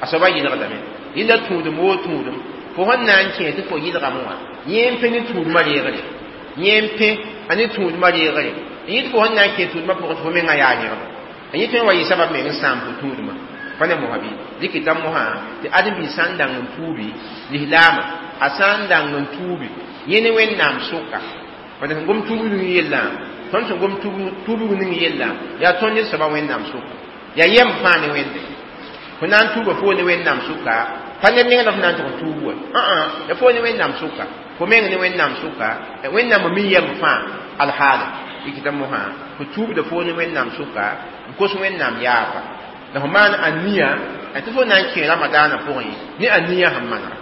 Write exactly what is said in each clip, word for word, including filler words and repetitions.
A soaba yɩlgdame. Yẽnda tũudem woo tũudem. Fo sẽn na n kẽ tɩ fo yɩlgame wã, yẽ n pẽ ne tũudmã reegre. Yẽ n pẽ a ne tũudmã reegre. N yɩt fo sẽn na n kẽ tũudmã pʋgẽ tɩ fo mengã yaa yẽgd. N yẽ tõe n wa yɩ sabab meng n sãam fo tũudmã. Pa ne mosã bɩ dɩkɩta mosã tɩ ãdem-biig sã n dang n tuubi lislaamã, a sã n dang n tuubi yẽ ne Wẽnnaam sʋka. Bad sẽn gom tuubg ning yellã, tõnd sẽn gom tuubg ning yellã, yaa tõnd ned soaba Wẽnnaam sʋka. Yaa yɛm fãa ne Wẽnde. Fo na n tuuba fo ne Wẽnnaam sʋka, pa ned neng la f na n tɩg n tuub wa. Ã, ya fo ne Wẽnnaam sʋka. Fo meng ne Wẽnnaam sʋka, Wẽnnaam mi yɛm fãa alhaala. Dɩkɩta mosã, fo tuubda fo ne Wẽnnaam sʋka, n kos Wẽnnaam yaafa. La fo maan aniya tɩ fo na n kẽ Ramadaanã pʋgẽ ne aniya sẽn manega.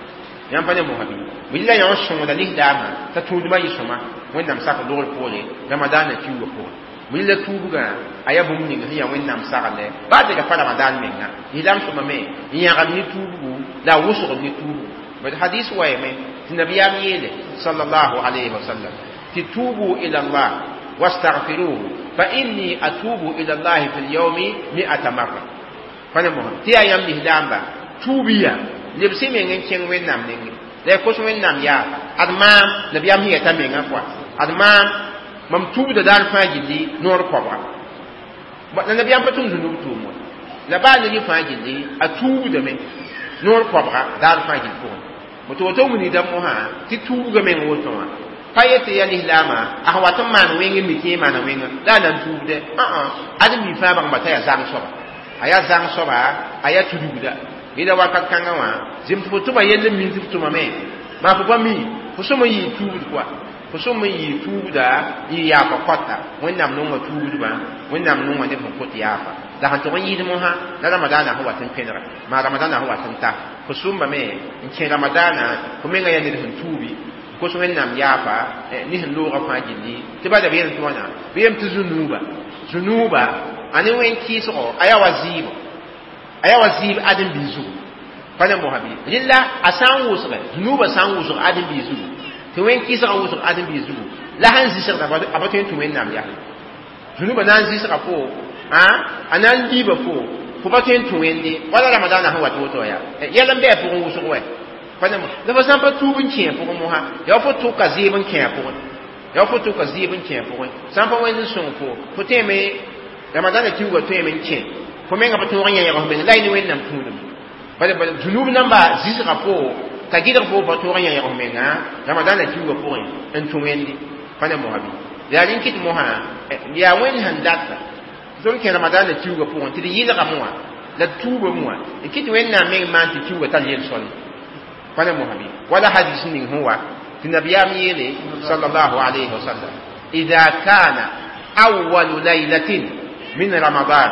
Yãmb pa ne mosã bɩ? Bɩ la yã sõngda lislaamã t'a tũudmã yɩ sõma Wẽnnaam sak logr poore Ramadaanã kiuugã pʋgẽ. Bɩ la tuubgã a yaa bũmb ning sẽn yaa Wẽnnaam sagle baa tɩ pa Ramadaan menga. Lislaam sõma me n yãgd ne tuubgu la a wʋsgd ne tuubgu. Bad hadis wayame tɩ nabiyaam yeele sallallahu alayhi wa sallam tɩ tuubu ila Allah wastaghfiruhu fa inni atubu ila Allah fi al-yawmi mi'ata marra. Pa ne mosã tɩ yaa yãmb lislaamba tuubiya lebs-y meng n kẽng Wẽnnaam nengẽ la y kos Wẽnnaam yaafa. Ad maam nabiyaam sẽn yɛta mengã kɔa, ad maam mam tuubda daar fãa gilli noor koabga. La nabiyaam pa tʋm zũnub tʋʋm wa. La baa ned fãa gilli a tuubdame noor koabga daar fãa gill pʋgẽ. Tɩ woto wilgda mosã tɩ tuubga meng woto wã pa yetɩ yaa lislaamã a sẽn wat n maan wẽng n mi tɩ yẽ maana wẽnga la a na n tuubdɛ. Ã, ãdem-bi fãa bãngba t'a yaa zãng soaba, a yaa zãng soaba, a yaa tudgda. Yẽla wakat kãngã wã zem tɩ fo tʋma yell n min tɩ f tʋmame, maa fo pa mi fo sõm n yɩɩ tuubd kɔa, fo sõm n yɩɩ tuubda n yɩ yaafa kɔta. Wẽnnaam nonga tuubdbã, Wẽnnaam nonga neb sẽn kot yaafa. La sẽn tʋg n yɩɩd mosã la Ramadaanã sẽn wat n pẽnega, maa Ramadaanã sẽn wat n ta, fo sʋmbame n kẽ Ramadaanã, fo menga yaa ned sẽn tuubi kos Wẽnnaam yaafa ne sẽn loogã fãa gilli. Tɩ ba da b yel tɩ wãna bɩ yem tɩ zũnuuba zũnuuba a ne wẽn kɩɩsgo a yaa wa zɩɩbo, a yaa wa zɩɩb ãdem-biig zugu. Pa ne mosã bɩ? Rɩla a sã n wʋsgɛ zũnuubã sã n wʋsg ãdem-biig zugu, tɩ wẽn kɩɩsgã wʋsg ãdem-biig zugu, la sẽn zɩsgda a pa tõe n tũ Wẽnnaam yaa. Zũnuubã na n zɩsga fo, a na n liiba fo, fo pa tõe n tũ Wẽnde wala Ramadaanã sẽn wat woto yaa yɛl n bɩ a pʋgẽ wʋsg wɛ. Pa ne la fo sã n pa tuub n kẽ a pʋgẽ mosã, yaa fo tʋka zɩɩb n kẽ a pʋgẽ, yaa fo tʋka zɩɩb n kẽ a pʋgẽ. Sã n pa Wẽnd n sõng fo, fo tẽeme Ramadaanã kiuugã tõeme n kẽ, fo menga pa tõog n yã yãg f meng la y ne Wẽnnaam tũudem. Bala bala zũnub namba zɩsga fo t'a gɩdg fo pa tõog n yã yãg f menga Ramadaanã kiuugã pʋgẽ n tũ Wẽnde. Pa ne mosã bɩ? Yaa rẽn kɩt mosã yaa Wẽnd sẽn data tõnd kẽ Ramadaanã kiuugã pʋgẽ tɩ d yɩlgame wã la d tuubame wã n kɩt Wẽnnaam meng maan tɩ kiuugã tar yel-sõl. Pa ne mosã bɩ? Wala hadis ning sẽn wa tɩ nabiyaam yeele sallallahu alayhi wa sallam: إذا كان أول ليلة من رمضان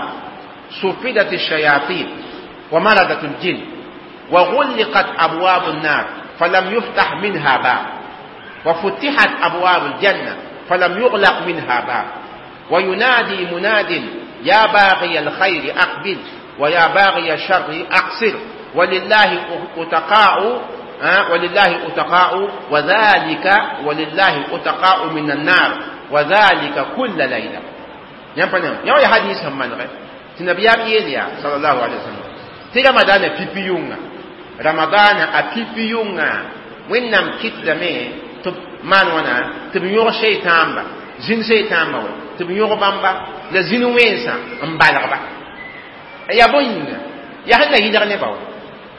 صفدت الشياطين ومردت الجن وغلقت أبواب النار فلم يفتح منها باب، وفتحت أبواب الجنة فلم يغلق منها باب، وينادي مناد: يا باغي الخير أقبل، ويا باغي الشر أقصر، ولله أتقاء ولله أتقاء وذلك ولله أتقاء من النار، وذلك كل ليلة. يا يا حديث هم من غير tɩ nabiyaam yeel yaa sallallahu alaihi wasallam tɩ Ramadaanã pipi yʋnga, Ramadaanã a pipi yʋnga, Wẽnnaam kɩtdame tɩ b maan wãna tɩ b yõg seetãamba zĩn seetãamba wa tɩ b yõg bãmba la zĩn wẽnsã n balgba. Yaa bõe yĩnga? Yaa sẽn na yɩlg nebã wa,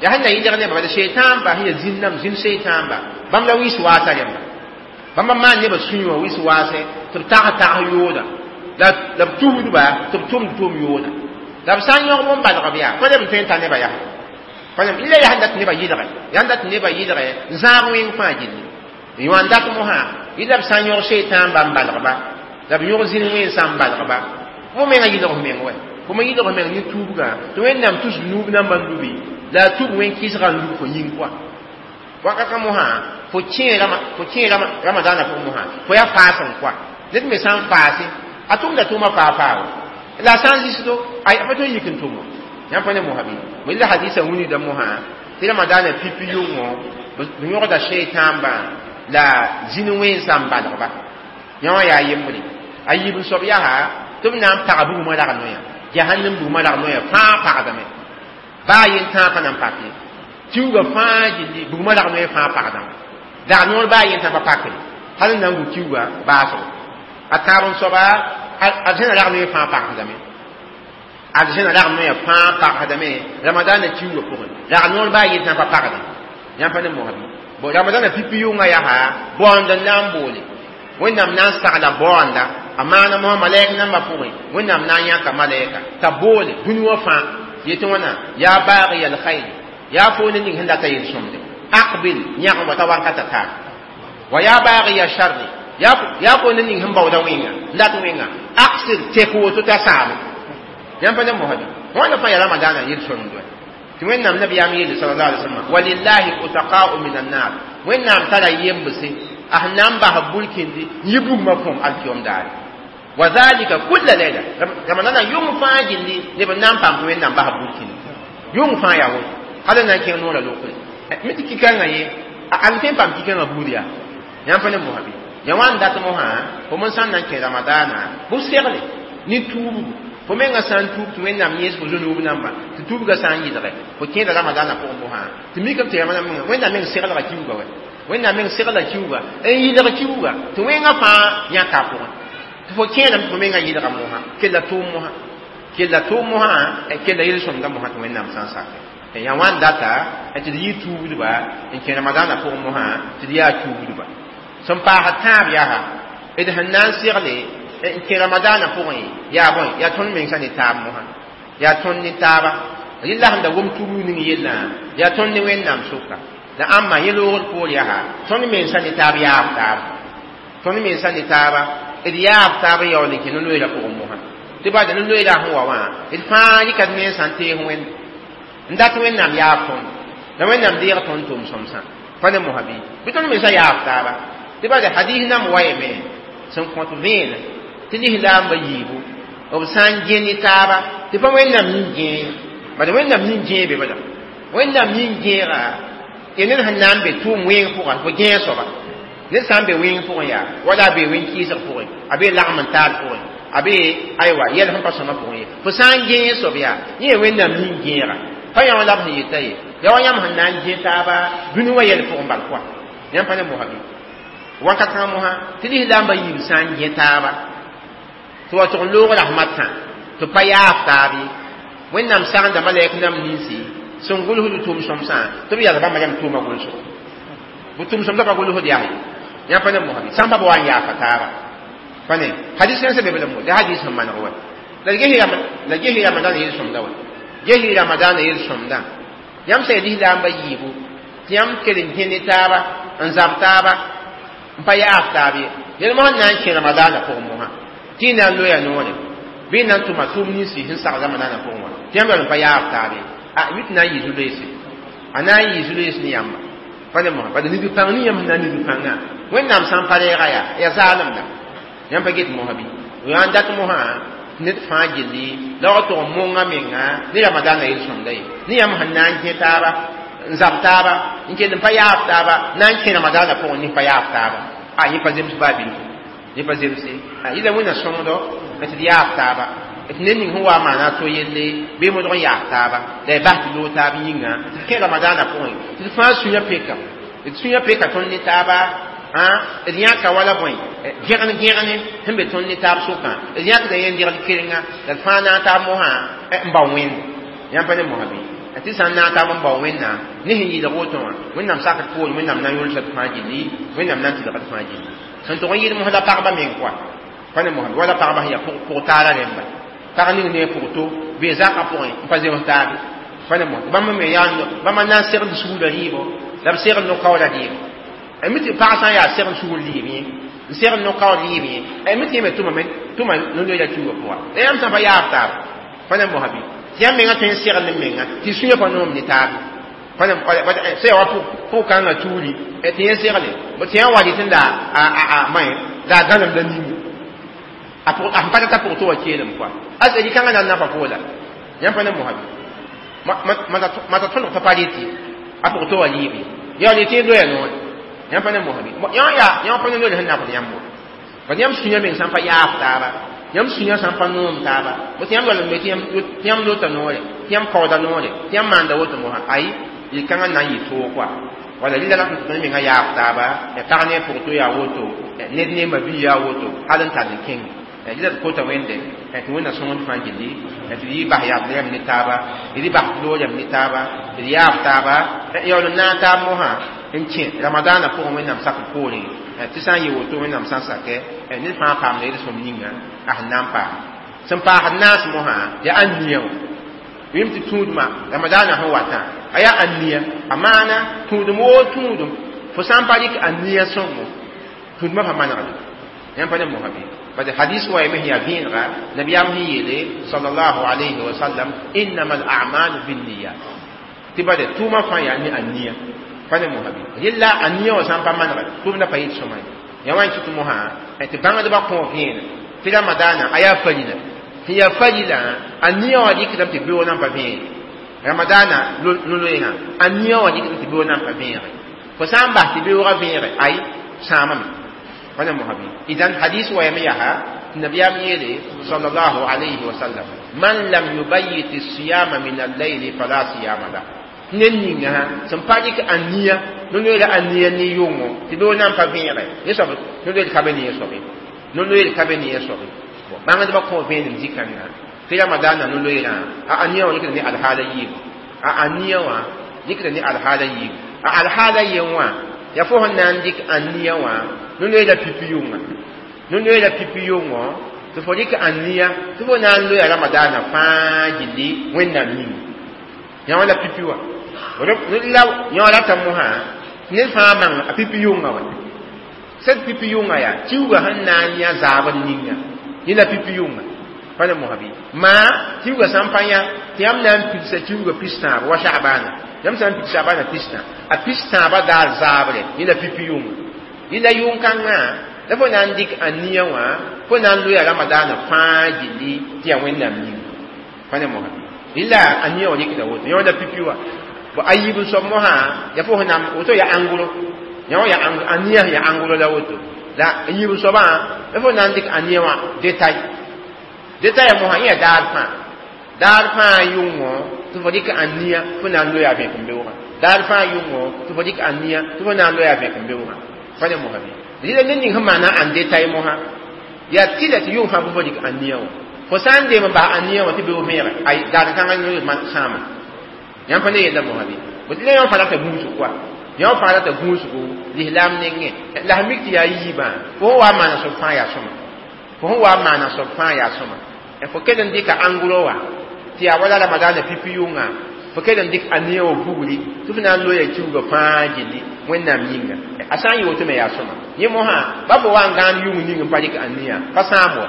yaa sẽn na yɩlg nebã. Bala seetãamba sẽn yaa zĩn nam zĩn seetãamba bãmb la wɩs waasa rẽmba, bãmba maan nebã sũyẽ wã wɩs waasɛ tɩ b tag tag yooda la la b tubdba tɩ b tʋmd tʋʋm yooda. La b sã n yõg bõn balg b yaa pa neb n tõe n ta nebã yaa pa neb la yaa sẽn dat nebã yɩlgɛ, yaa sẽn dat nebã yɩlgɛ n zãag wẽng fãa gilli n yõ n dat mosã. Yɩla b sã n yõg seetãamba n balgba la b yõg zĩn wẽnsã n balgba, fo menga yɩlg f meng wɛ, fo me yɩlg f meng ne tuubgã tɩ Wẽnnaam tus nuub nambã n lubi la a tub wẽn kɩsgã n lub fo yĩng pʋa. Wakata mosã fo kẽe fo kẽe Ramadaanã pʋgẽ mosã fo yaa faas n kɔa. Ned me sã n faase a tʋmda tʋʋmã faa faa wa la a sã n zɩsdo a pa tõe n yik n tʋm wã. Yãmb pa ne mosã bɩ? La hadisa wilgda mosã tɩ Ramadaanã pipi yʋngõ b yõgda seetãambã la zĩn wẽnsã n balgba. Yã wã yaa yembre. A yiib n soab yaa tɩ b na n pag bugmã rag noyã, jahannam bugmã rag noyã fãa pagdame. Baa yen tãag pa na n pak ye. Kiuugã fãa gilli bugmã rag noe fãa pagdame. Dag noor baa yen tã pa pakre. Hal n na n gu kiuugã baasgo. A tãab n soaba arzẽna rag noe fãa pagsdame. Arzẽna rag noe fãa pagsdame Ramadana kiuugã pʋgẽ. Rag noor baa yen tã pa pagdẽ. Yãmb pa ne mosã bɩ? Bon Ramadana pipi yʋngã yaa baoond n na n boole. Wẽnnaam na n sagla baoonda a maana mosã malɛk nambã pʋgẽ. Wẽnnaam na n yãka malɛka t'a boole dũni wã fãa yetɩ wãna yaa baagɩ alkhair yaa fo ne ning sẽn data yel-sõmde aqbil yãg wa ta wankata taar wa yaa baagɩ ya sharri yaa fo ne ning sẽn baooda wẽnga n dat wẽnga aqsir tek woto t'a saame. Yãmb pa ne mosã bɩ? Wãna fãa yaa Ramadaana yel-sõmd wɛ. Tɩ Wẽnnaam nabiyaam yeele sallallahu alaihi wasallam walillahi utaqa'u min annar Wẽnnaam tara yembse a sẽn na n bas burkindi n yi bugmã pʋgẽ alkiyom daare. Wa zalika kulla layla Ramadana yʋng fãa gilli neb n na n paam tɩ Wẽnnaam bas burkindi yʋng fãa yaa woto hal n na n kẽng noorã lokre mi tɩ kikãngã ye a tõe n paam kikãngã buud yaa. Yãmb pa ne mosã bɩ? Ya wã n dat mosã fo men sã n na n kẽ Ramadaana bʋ segle ne tuubgu fo menga sã n tuub tɩ Wẽnnaam yẽes fo zũnuub namba tɩ tuubgã sã n yɩlge fo kẽeda Ramadaana pʋgẽ mosã tɩ mikame tɩ Wẽnnaam meng seglga kiuugã wɛ. Wẽnnaam meng segla kiuugã n yɩlg kiuugã tɩ wẽngã fãa yãka a pʋgẽ tɩ fo kẽedame tɩ fo menga yɩlga mosã kella tʋʋm mosã kella tʋʋm mosã kella yel-sõmda mosã tɩ Wẽnnaam sã n sake. Ya wã n data tɩ d yɩ tuubdba n kẽ Ramadaana pʋgẽ mosã tɩ d yaa tuubdba. Sẽn paasd tãab yaa d sẽn na n segle n kẽ Ramadaana pʋgẽ yaa bõe yaa tõnd mensã ne taab mosã yaa tõnd ne taaba rɩla sẽn da wom tuubg ning yellã yaa tõnd ne Wẽnnaam sʋka la ãmba yẽ loogr poor yaa tõnd mensã ne taab yaab taaba tõnd mensã ne taaba d yaab taab n yaool n kẽ no-loeera pʋgẽ mosã tɩ bada no-loeera sẽn wa wã d fãa yɩka d mensã n tees Wẽnd n dat Wẽnnaam yaab tõnd la Wẽnnaam deeg tõnd tʋʋm sõmsã pa ne mosã bɩ bɩ tõnd mensã yaab taaba tɩ bada hadis nam wayame sẽn kõt vẽene tɩ lislaambã yiibu b sã n gẽ ne taaba tɩ pa Wẽnnaam nin-gẽe bala Wẽnnaam nin-gẽe be bala Wẽnnaam nin-gẽega ya ned sẽn na n be tʋʋm wẽng pʋgã fo gẽeg soaba ned sã n be wẽng pʋgẽ yaa wala a be wẽn-kɩɩsg pʋgẽ a be lagm n taal pʋgẽ a be aywa yɛl sẽn pa sõma pʋgẽ ye fo sã n gẽeg soab yaa yẽ ya Wẽnnaam nin-gẽega pa yã wã la b sẽn yeta ye ya wa yãmb sẽn na n gẽ taaba dũni wã yɛl pʋgẽ bal pʋa yãmb pa ne mosã bɩ? Wakat kãngã mosã tɩ lislaambã yiib sã n gẽ taaba tɩ wa tʋg n loog rahmatã tɩ pa yaaf taab ye Wẽnnaam sagenda malɛk nam ninsi sẽn gʋlsd tʋʋm sõmsã tɩ b yals bãmba yam tʋʋma gʋlsgo bʋ tʋʋm sõmsã pa gʋlsd yaa ye yãmb pa ne mosã bɩ? Sã n pa ba wa n yaafa taaba pa ne hadis kãensã be be la mo la hadis sẽn maneg wɛ la ges Ramadaana yel-sõmda wɛ ges Ramadaana yel-sõmda yãmb sã ya lislaambã yiibu tɩ yãmb kell n gẽ ne taaba n zab taaba n pa yaaf taab ye yel mosã n na n kẽ Ramadaana pʋgẽ mosã tɩ y na n loya noore bɩ y na n tʋma tʋʋm ninsi sẽn sag Ramadaana pʋgẽ wã tɩ yãmb yaool n pa yaaf taab ye a mi tɩ na n yɩ zu-loeese a na n yɩ zu-loees ne yãmba pa ne mosã bala nidg pãng ning yãmb sẽn na n nidg pãngã Wẽnnaam sã n pa reega yaa yaa zaalemda yãmb pa get mosã bɩ? Yaa n dat mosã ned fãa gilli la wa tʋg n monga menga ne Ramadaana yel-sõmda ye ne yãmb sẽn na n gẽ taaba n zab taaba n kell n pa yaaf taaba na n kẽ Ramadaana pʋgẽ ne pa yaaf taaba a yẽ pa zems baa bilfu yẽ pa zemse yɩla Wẽnna sõngdo tɩ d yaaf taaba tɩ ned ning sẽn wa maana a to yelle bɩ modg n yaaf taaba la y bas tɩ loog taab yĩnga tɩ d kẽ Ramadaana pʋgẽ tɩ d fãa sũyã peka d sũyã peka tõnd ne taaba d yãka wala bõe gẽgn gẽgne sẽn be tõnd ne taab sʋkã d yãkda yẽn degl kerenga la d fãa naag taab mosã n bao Wẽnde yãmb pa ne mosã bɩ? Tɩ sã n naag taab n bao Wẽnnaam ne sẽn yɩlg woto wã Wẽnnaam sakd poor Wẽnnaam na n yʋlsa d fãa gilli Wẽnnaam na n tɩlg d fãa gilli sẽn tʋg n yɩl mosã la pagba meng koa pa ne mosã wala pagba sẽn yaa pʋg taara rẽmba pag ning ne pʋg to bee zakã pʋgẽ n pa zems taabe pa ne mosã bãmb me yaa bãmba na n segd sugla rɩɩbo la b segd no-kaooda rɩɩbo mi tɩ pag sã n yaa segd sugr rɩɩb yẽ n segd no-kaood rɩɩb yẽ mi tɩ yẽ me tʋma tʋma no-loeera kiuugã pʋga la yãmb sã pa yaab taab pa ne mosã bɩ? Tɩ yãmb menga tõe n segl n menga tɩ sũyã pa noom ne taab pa ne sã yaa wa pʋg-kãngã tuuri tɩ yẽ segle tɩ yã wa rɩtẽ la a la a gãnemda ninga a sẽn pa tata pʋg tɩ wa keelem koa a sẽn rɩ-kãngã na n nafa poola yãmb pa ne mosã bɩ? Mata tõdg t'a pa rɩtɩ a pʋg tɩ wa rɩɩb ye yaa rɩtɩ y loya noore yãmb pa ne mosã bɩ? Yã yaa yã pa ne loe sẽn nafd yãmb bad yãmb sũyã meng sã n pa yaaf taaba yãmb sũyã sã n pa noom taaba bõ tɩ yãmb yaool n me tɩ yãmb lota noore tɩ yãmb kaooda noore tɩ yãmb maanda woto mosã ay yel-kãngã na n yɩ toog koa wala rɩla la tõnd menga yaab taaba pag ne a pʋg to yaa woto ned ne ma bii yaa woto hal n tall n kẽnge rɩla d kota wẽnde tɩ wẽnna sõngd fãa gilli tɩ d yɩ bas yabd rãmb ne taaba d bas loor rãmb ne taaba d yaab taaba yaool n naag taab mosã n kẽ ramadaanã pʋgẽ wẽnnaam sakr poorẽ tɩ sã n yɩ woto wẽnnaam sã n sakɛ ned fãa paamda yel-sõm ninga a sẽn na n paam sẽn paasd naas mosã yaa ãn-nia wã wɩm tɩ tũudmã ramadaanã sẽn watã a yaa ãn-nia a maana tũudum woo tũudum fo sã n pa rɩk ãn-nia sõngo tũudmã pa manegde yãmb pa ne mosã bɩ bad hadis wa yame yaa vẽenega nabiyaam sẽn yeele sallallahu alayhi wa sallam innama al-a'malu binniyat tɩ bade tʋʋmã fãa yaa ne ãn-nia pa ne mosã bɩ yella ãn-nia wã sã n pa manege tʋʋmdã pa yɩt sõma ye yaa wa n kɩt mosã tɩ bãngdbã kõ vẽenem tɩ ramadaanã a yaa farila tɩ yaa farila ãn-nia wã rɩkdame tɩ beoog nan pa vẽene ramadaanã no-loeegã ãn-nia wã rɩkdame tɩ beoog nan pa vẽege fo sã n bas tɩ beoogã vẽege ay sãamame pa ne mosã bɩ idan hadis wa yame yaa tɩ nabiyaam yeele sallallahu alayhi wa sallam man lam yubayyit siyama min al-layli fala siyama lah ned ninga sẽn pa rɩk ãn-nia no-loeera ãn-nia ne yʋngo tɩ beoog nan pa vẽege yẽ soab no-loeer ka be ne yẽ soabe no-loeer ka be ne yẽ soabe bãngdbã kõ vẽenem zĩ-kãngã tɩ ramadaanã no-loeerã a ãn-nia wã rɩkda ne alhaala yiibu a ãn-nia wã rɩkda ne alhaala yiibu a alhaala yen wã yaa fo sẽn na n dɩk ãn-nia wã no-loeera pipi yʋnga no-loeera pipi yʋngo tɩ fo rɩk ãn-nia tɩ fo na n loya ramadaanã fãa gilli wẽnnaam yĩnga yã wã la pipi wã la yã rata mosã ned fãa bãng a pipi yʋnga wã sed pipi yʋnga yaa kiuugã sẽn na n yã zaabr ninga yẽ la pipi yʋnga pa ne mosã bɩ maa kiuugã sã n pa yã tɩ yãmb na n pidsa kiuugã pis-tãab wa sha'baana yãmb sã n pid sha'baana pis-tã a pis-tãabã daar zaabre yẽ la pipi yʋnga yẽ la yʋng-kãngã la fo na n dɩk ãn-nia wã fo na n loya ramadaanã fãa gilli tɩ yaa wẽnnaam yĩnga pa ne mosã bɩ rɩla ãn-nia wã rɩkda woto yã wã la pipi wã bo a yiib n soab mosã yaa fo sẽn na woto yaa ãngro yã wã yaa ãn-nia sẽn yaa ãngro la woto la yiib n soabã la fo na n dɩk ãn-nia wã détail détail mosã yẽ yaa daar fãa daar fãa yʋngo tɩ fo dɩk ãn-nia fo na n loya vẽkembeoogã daar fãa yʋngo tɩ fo dɩk ãn-nia tɩ fo na n loya vẽkembeoogã pa ne mosã bɩ rɩla ned ning sẽn maana ãn détail mosã yaa tɩla tɩ yʋng fãa bɩ fo dɩk ãn-nia wã fo sã n deem n bas ãn-nia wã tɩ beoog vẽege ay daar kãngã sãama yãmb pa ne yella mosã bɩ bõ tɩ la yã fãa rata gũusg koa yã fãa rata gũusgo lislaam nengẽ la sẽn mik tɩ yaa yiibã fo sẽn wa n maana soab fãa yaa sõma fo sẽn wa n maana soab fãa yaa sõma fo kell n dɩka ãngro wã tɩ yaa wala ramadaanã pipi yʋnga fo kell n dɩk ãn-nia wã bugri tɩ fo na n loya kiuugã fãa gilli wẽnnaam yĩnga a sã n yɩ woto me yaa sõma yẽ mosã ba fo wa n gãan yʋng ning n pa dɩk ãn-nia pa sãam wa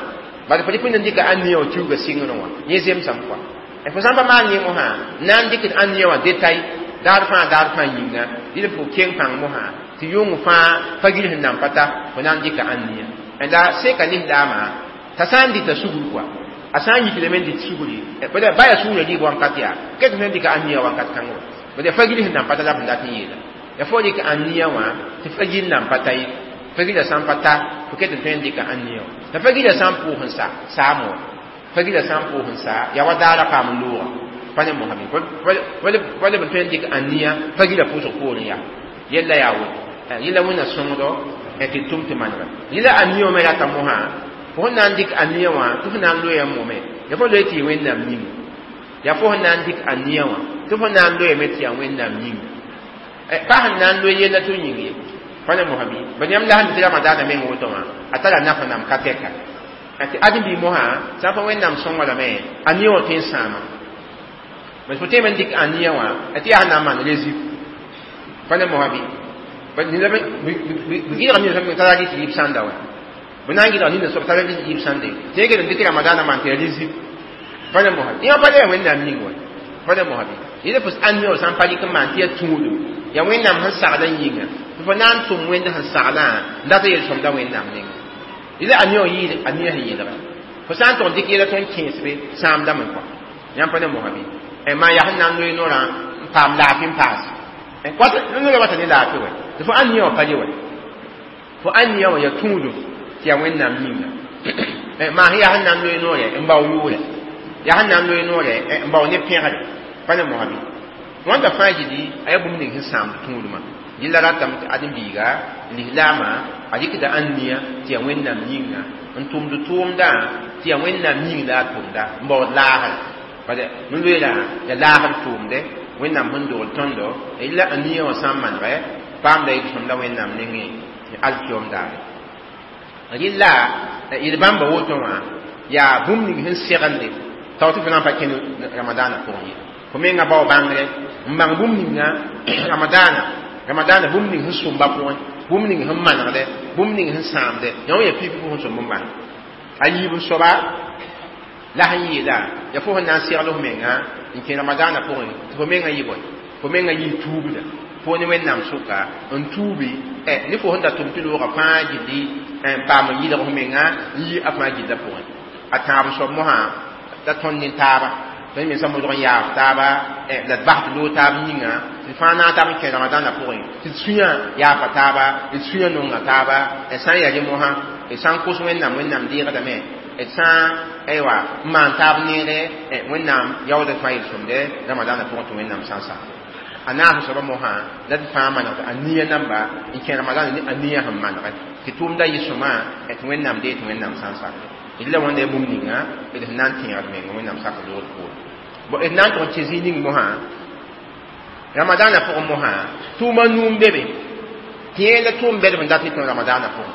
bala fo dɩk n dɩka ãn-nia wã kiuugã sɩngrẽ wã yẽ zemsame koa fo sã n pa maan yẽ mosã na n dɩkd ãn-nia wã détail daar fãa daar fãa yĩnga rɩl fo keng pãng mosã tɩ yʋng fãa pa gil sẽn nan pa ta fo na n dɩka ãn-nia la seka lislaamã t'a sã n dɩta sugr koa a sã n yiklame n dɩt sugri ba yaa sugrã rɩɩb wãnkat yaa ket sẽn dɩka ãn-nia wãnkat kãng wã bad fa gil sẽn nan pa ta la b sẽn dat n yeela ya fo dɩk ãn-nia wã tɩ fa gil nan pa ta ye fa gila sã n pa ta fo ket n tõe n dɩka ãn-nia wã la fa gila sã n pʋʋs n sa saam wã fa gila sã n pʋʋs n sa yaa wa daara paam n loogã pa ne mosã bɩ leb n tõe n dɩk ãn-nia fa gila pʋʋsg poorẽ yaa yella yaa woto yella wẽnna sõngdo tɩ tʋm tɩ manega yella ãn-nia wã me rata mosã fo sẽn na n dɩk ãn-nia wã tɩ fo na n loya mome ya fo loe tɩ yɩ wẽnnaam yĩnga yaa fo sẽn na n dɩk ãn-nia wã tɩ fo na n loyame tɩ yaa wẽnnaam yĩnga pa sẽn na n loe yella tɩ yĩng ye pa ne mosã bɩ ba yãmb la sẽn tɩ ramadaanã meng woto wã a tara naf nam ka tɛka tɩ ãdem-biig mosã sã n pa wẽnnaam sõnga lame ãn-nia wã tõe n sãama bas fo tõeme n dɩk ãn-nia wã tɩ yaa sẽn na n maan rezib pa ne mosã bɩ b gɩdg nina tara rɩt yib sãnda wã b na n gɩdg nina soab tara rɩt yib sãnde tɩ yẽ kell n dɩk ramadaanã maan tɩ ya rezib pa ne mosã yã pa yaa wẽnnaam yĩng wã pa ne mosã bɩ yẽla fo ãn-nia wã sã n pa rɩk n maan tɩ yaa tũudum yaa wẽnnaam sẽn saglã yĩnga tɩ fo na n tʋm wẽnd sẽn saglã n dat yel-sõmda wẽnnaam nengẽ yẽla ãn-nia wã yɩɩd ãn-nia sẽn yeelga fo sã n tʋg n dɩk yɛla tõnd kẽesbe sãamdame kɔa yãmb pa ne mosã bɩ maa yaa sẽn na n loe noorã n paam laafɩ n paas noorã wata ne laafɩ wɛ tɩ fo ãn-nia wã pa le wɛ fo ãn-nia wã yaa tũudum tɩ yaa wẽnnaam yĩnga maa sẽn yaa sẽn na n loe noorɛ n bao yʋʋrɛ Yaa sẽn na n loe noore n bao ne pẽgre pa ne mosã bɩ wãnda fãa gilli a yaa bũmb ning sẽn sãamd tũudmã yella ratame tɩ ãdem-biiga lislaamã a rɩkda ãnnia tɩ yaa wẽnnaam yĩnga n tʋmd tʋʋmdã tɩ yaa wẽnnaam yĩng la a tʋmda n baood laasre bala no-loeerã yaa laasr tʋʋmde wẽnnaam sẽn dogl tõndo la a nia wã sã n manegɛ paamda yel-sõmda wẽnnaam nengẽ alkiom daare rɩlla yel-bãmba woto wã yaa bũmb ning sẽn segende tao tɩ fo na n pa kẽnd ramadaanã pʋgẽ ye fo menga bao bãngre n bãng bũmb ninga ramadaana ramadaana bũmb ning sẽn sõmba pʋgẽ bũmb ning sẽn manegdɛ bũmb ning sẽn sãamdɛ yã wã yaa pipi fo sẽn sõmb n bãng a yiib n soaba la sẽn yeela yaa fo sẽn na n segl f menga n kẽ ramadaanã pʋgẽ tɩ fo menga yɩ bõe fo menga yɩ tuubda fo ne wẽnnaam sʋka n tuubi ne fo sẽn da tʋm tɩ loogã fãa gilli n paam n yɩlg f menga n yi a fãa gillã pʋgẽ a tãab soab mosã la tõnd ne taaba tõnd mensã modg n yaaf taaba la d bas tɩ loog taab yĩnga tɩ fãa naag taab n kẽ ramadaanã pʋgẽ tɩ d sũyã yaafa taaba d sũyã nonga taaba d sã n yaa rẽ mosã d sã n kos wẽnnaam wẽnnaam deegdame d sã n aywa n maan taab neere wẽnnaam yaood fãa yel-sõmde ramadaanã pʋgẽ tɩ wẽnnaam sã n sa a naas soaba mosã la d fãa manegd a nia namba n kẽ ramadaanã ne a nia sẽn manegɛ tɩ tʋʋmda yɩ sõma tɩ wẽnnaam dee tɩ wẽnnaam sã n sak d la wãnda bũmb ninga d sẽn na n tẽegd menga wẽnnaam sak loogd poore bon d na n tʋg n kẽ zĩig ning mosã ramadaanã pʋgẽ mosã tʋʋma nuu n be be tɩ yẽ la tʋʋm bɛdb n dat tɩ tõe ramadaanã pʋgẽ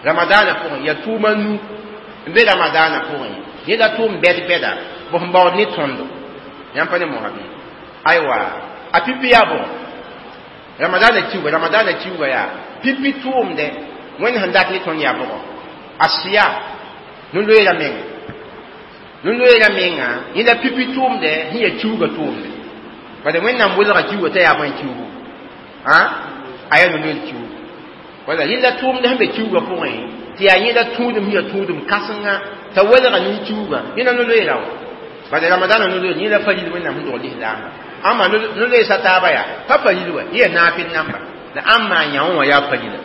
ramadaanã pʋgẽ yaa tʋʋma nu n be ramadaanã pʋgẽ yẽ la tʋʋm bɛd bɛda bõ sẽn baood ne tõndo yãmb pa ne mosã bɩ aywa a pipi yaa bõ ramadaanã kiuga ramadaanã kiuga yaa pipi tʋʋmdɛ wẽnd sẽn dat ne tõnd yaa bʋgɔ a sɩya no-loeera menga no-loeera menga yẽ la pipi tʋʋmdɛ sẽn yaa kiuga tʋʋmdɛ bala wẽnnaam welga kiuga t'a yaa bõe kiugu a a yaa no-loeer kiugu wala yẽ la tʋʋmdɛ sẽn be kiuga pʋgẽ tɩ yaa yẽ la tũudem sẽn yaa tũudem kãsenga t'a welga ne kiuga yẽ la no-loeera wã bala ramadaanã no-loeer yẽ la faril wẽnnaam sẽn dog lislaamba ãmba no-loeesa taaba yaa pa faril wa yẽ yaa naafɩl namba la ãmb maan yã wã yaa farila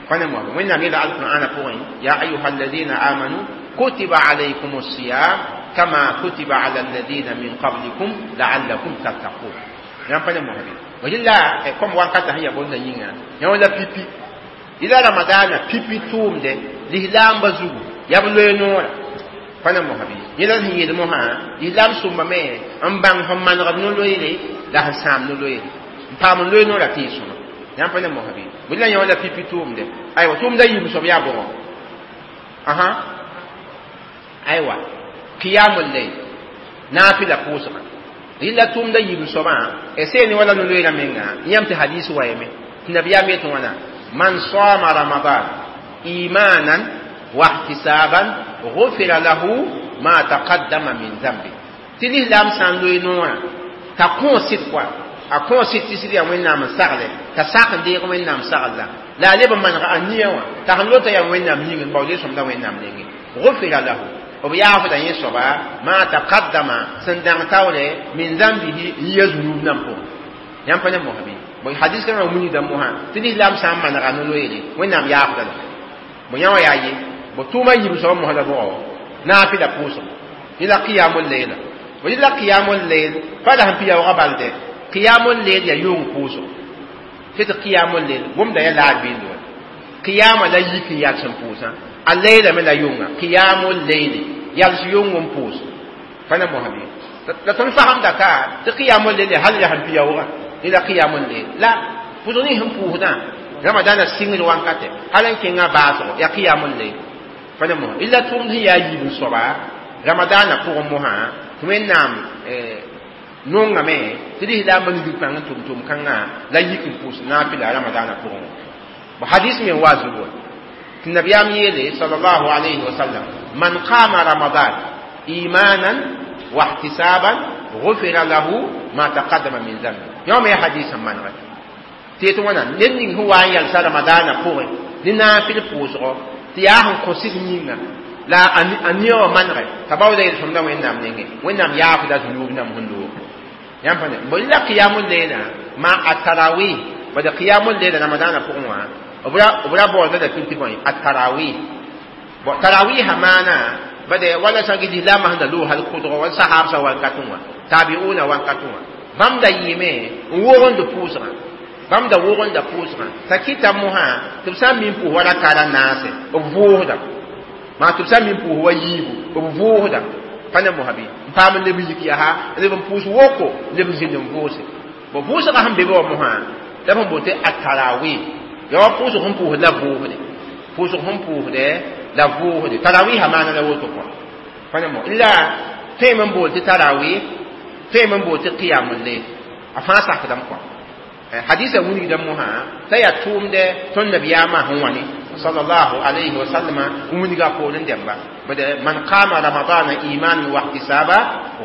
pa ne moasã wẽnnaam yeela alqur'ana pʋgẽ ya ayuha alladina amanu kutiba alaykum الصiyam kama kutiba ala alladina min qablikum la'allakum tattaqun yãmb pa ne moasã bɩ rɩla kom wankata sẽn yaa bõnda yĩnga yã wã la pipi yɩla ramadaana pipi tʋʋmdɛ lislaamba zugu yaa b loe noora pa ne mosã bɩ yẽ la sẽn yeel mosã lislaam sõmbame n bãng sẽn manegd no-loeere la sẽn sãam no-loeere n paam n loe noora tɩ y sõma yãmb pa ne mosã bɩ bɩ la yã wã la pipi tʋʋmdɛ aywa tʋʋmda yiib soab yaa bʋgɔ aha aywa qiyamul layl naafila pʋʋsgã rɩla tʋʋmda yiib soabã seene wala no-loeerã menga yãmb tɩ hadis wa yeme tɩ nabiyaam yetɩ wãna man sama ramadan imanan wa ihtisaban غفر له ما تقدم من ذنبه tɩ lislaam sã n loe noorã t'a kõ sɩd koa a kõ sɩd tɩ sɩd yaa wẽnnaam n sagle t'a sak n deeg wẽnnaam sagl la la a leb n maneg a nia wã t'a sẽn lota yaa wẽnnaam yĩng n baood sõmda wẽnnaam nengẽ غفر له b yaafda yẽ soaba ma taqaddama sẽn dãng taoore min zambihi n yia zunub nan pʋgẽ yãmb pa ne mosã bɩ bon hadis kãngã wilgda mosã tɩ lislaam sã n manega no-loeere wẽnnaam yaafda la bon yã wã yaa ye bo tʋʋma yiib soaba mosã la bʋgɔ naafɩla pʋʋsg yẽla qiyamul layla bo yẽla qiyamul layl pa la sẽn pɩ yaoogã balde qiyamul layl yaa yʋng pʋʋsg tɩ qiyamul layl gomda yaa laar biind wa qiyama la yik n yals n pʋʋsã a layla me la yʋnga qiyamul layli yals yʋng n pʋʋs pa ne mosã bɩ la tõnd fasemda ka tɩ qiyamul layl hal yaa sẽn pɩ yaoogã yẽla qiyamul layl la pʋʋsg ning sẽn pʋʋsdã ramadaanã sɩngd wankatɛ hal n kẽngã baasgo yaa qiyamul layl pa ne mosã illa tʋʋmd sẽn yaa yiib n soaba ramadaanã pʋgẽ mosã tɩ wẽnnaam nongame tɩ lislaambã nudg pãng n tʋm tʋm kãngã la yik n pʋʋs naafɩla ramadaanã pʋgẽ wã hadis me n wa zugu wã tɩ nabiyaam yeele sallallahu alayhi wa sallam man qama ramadan imanan wa ihtisaban غفر له ما تقدم من ذنبه yã me hadis n manegɛ tɩ yetɩ wãna ned ning sẽn wa n yalsa ramadaanã pʋgẽ ne naafɩl pʋʋsgɔ tɩ yaa sẽn kõ sɩd yĩnga la a nia wã manegɛ t'a baooda yel-sõmda wẽnnaam nengẽ wẽnnaam yaafda zunub nam sẽn loog yãmb pa ne bõe la qiyamul layla ma a tarawih bala qiyamul layla ramadaanã pʋgẽ wã b ra baoolda la tɩ bõe a tarawih bon tarawiha maana Bade wala sã gɩ lislaambã sẽn da loog hal kʋdgɔ wala sahaabsã wankatẽ wã tabiuna wankatẽ wã bãmb da yɩɩme n wogend pʋʋsgã bãmb da wogenda pʋʋsgã t'a kɩta mosã tɩ b sã n min pʋʋs wa raka ra naase b vʋʋsda maa tɩ b sã n min pʋʋs wa yiibu b vʋʋsda pa ne mosã bɩ n paam n leb n yik yaa leb n pʋʋs woko leb n zĩnd n vʋʋse bo vʋʋsgã sẽn be be wã mosã la b sẽn boond tɩ atarawi ya wa pʋʋsg sẽn pʋʋsd la vʋʋsde pʋʋsg sẽn pʋʋsdɛ la vʋʋsde tarawiha maana la woto kɔa pa ne mo la tõeme n boond tɩ tarawi tõeme n boond tɩ qiyamul layl a fãa sakdame kɔa hadisa wilgdame mosã t'a yaa tʋʋmdɛ tõnd nabiyaamã sẽn wã ne sallallahu alayhi wa sallama n wilga poorẽ dẽmba bad man qama ramadana imanan wa ihtisaba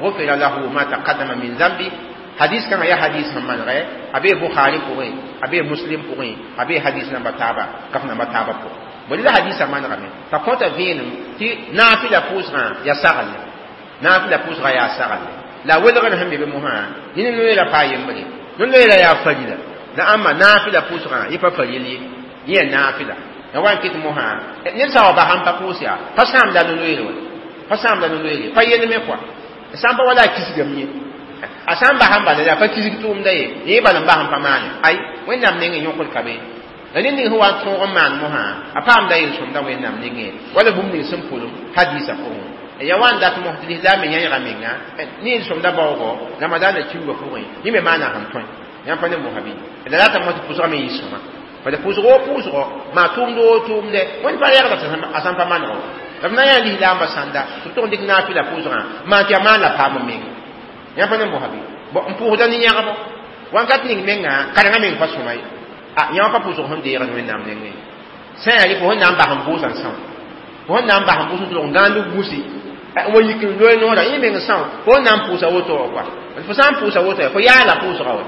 غفر له ما تقدم من ذنبه hadis kãngã yaa hadis sẽn manegɛ a bee bukhari pʋgẽ a bee muslim pʋgẽ a bee hadis namba taaba kaf namba taaba pʋgẽ bõe la hadisã manegame t'a kõta vẽenem tɩ naafɩla pʋʋsgã yaa sagle naafɩla pʋʋsgã yaa sagle la welgr sẽn be be mosã yẽ ne noeera paa yembre no-loeera yaa farila la ãmba naafɩla pʋʋsgã yẽ pa faril ye yẽ yaa naafɩla la wa n kɩt mosã ned sã wa basãn pa pʋʋs yaa pa sãamda no-loeere wa pa sãamda no-loeere pa yelme kɔa sã n pa wala a kisgame ye a sã n bas n bala yaa pa kisg tʋʋmda ye yẽ bal n bas n pa maane ay wẽnnaam nengẽ yõkd ka be la ned ning sẽn wa n tõog n maan mosã a paamda yel-sõmda wẽnnaam nengẽ wala bũmb ning sẽn pʋlem hadiisã pʋgẽ ya wa n dat mos tɩ lislaam yãyga menga ne yel-sõmda baoogɔ ramadaanã kiuugã pʋgẽ yẽ me maana sẽn tõe yãmb pa ne mosã bɩ la rata mos tɩ pʋsgã me yɩ sõma bala pʋʋsg o pʋʋsgɔ maa tʋʋmd o tʋʋmdɛ wẽnd pa rɛgda a sãn pa maneg wa la b na yã lislaambã sãnda tɩ b tʋg n dɩk naafɩla pʋʋsgã maan tɩ yaa maan la paam meng yãmb pa ne mosã bɩ n pʋʋsda ne yãgbo wakat ning menga karengã meng pa sõma ye a yã wã pa pʋʋsg sẽn deegd wẽnnaam nengẽ sã yaa rɩ fo sẽn na n bas n vʋʋsã n são fo sẽn na n bas n vʋʋs n tʋlg n gãand gũsi wa yik n loe noorã yẽ meng são fo sẽn na n pʋʋsa woto wã kɔa fo sã n pʋʋsa woto fo yaala pʋʋsga wa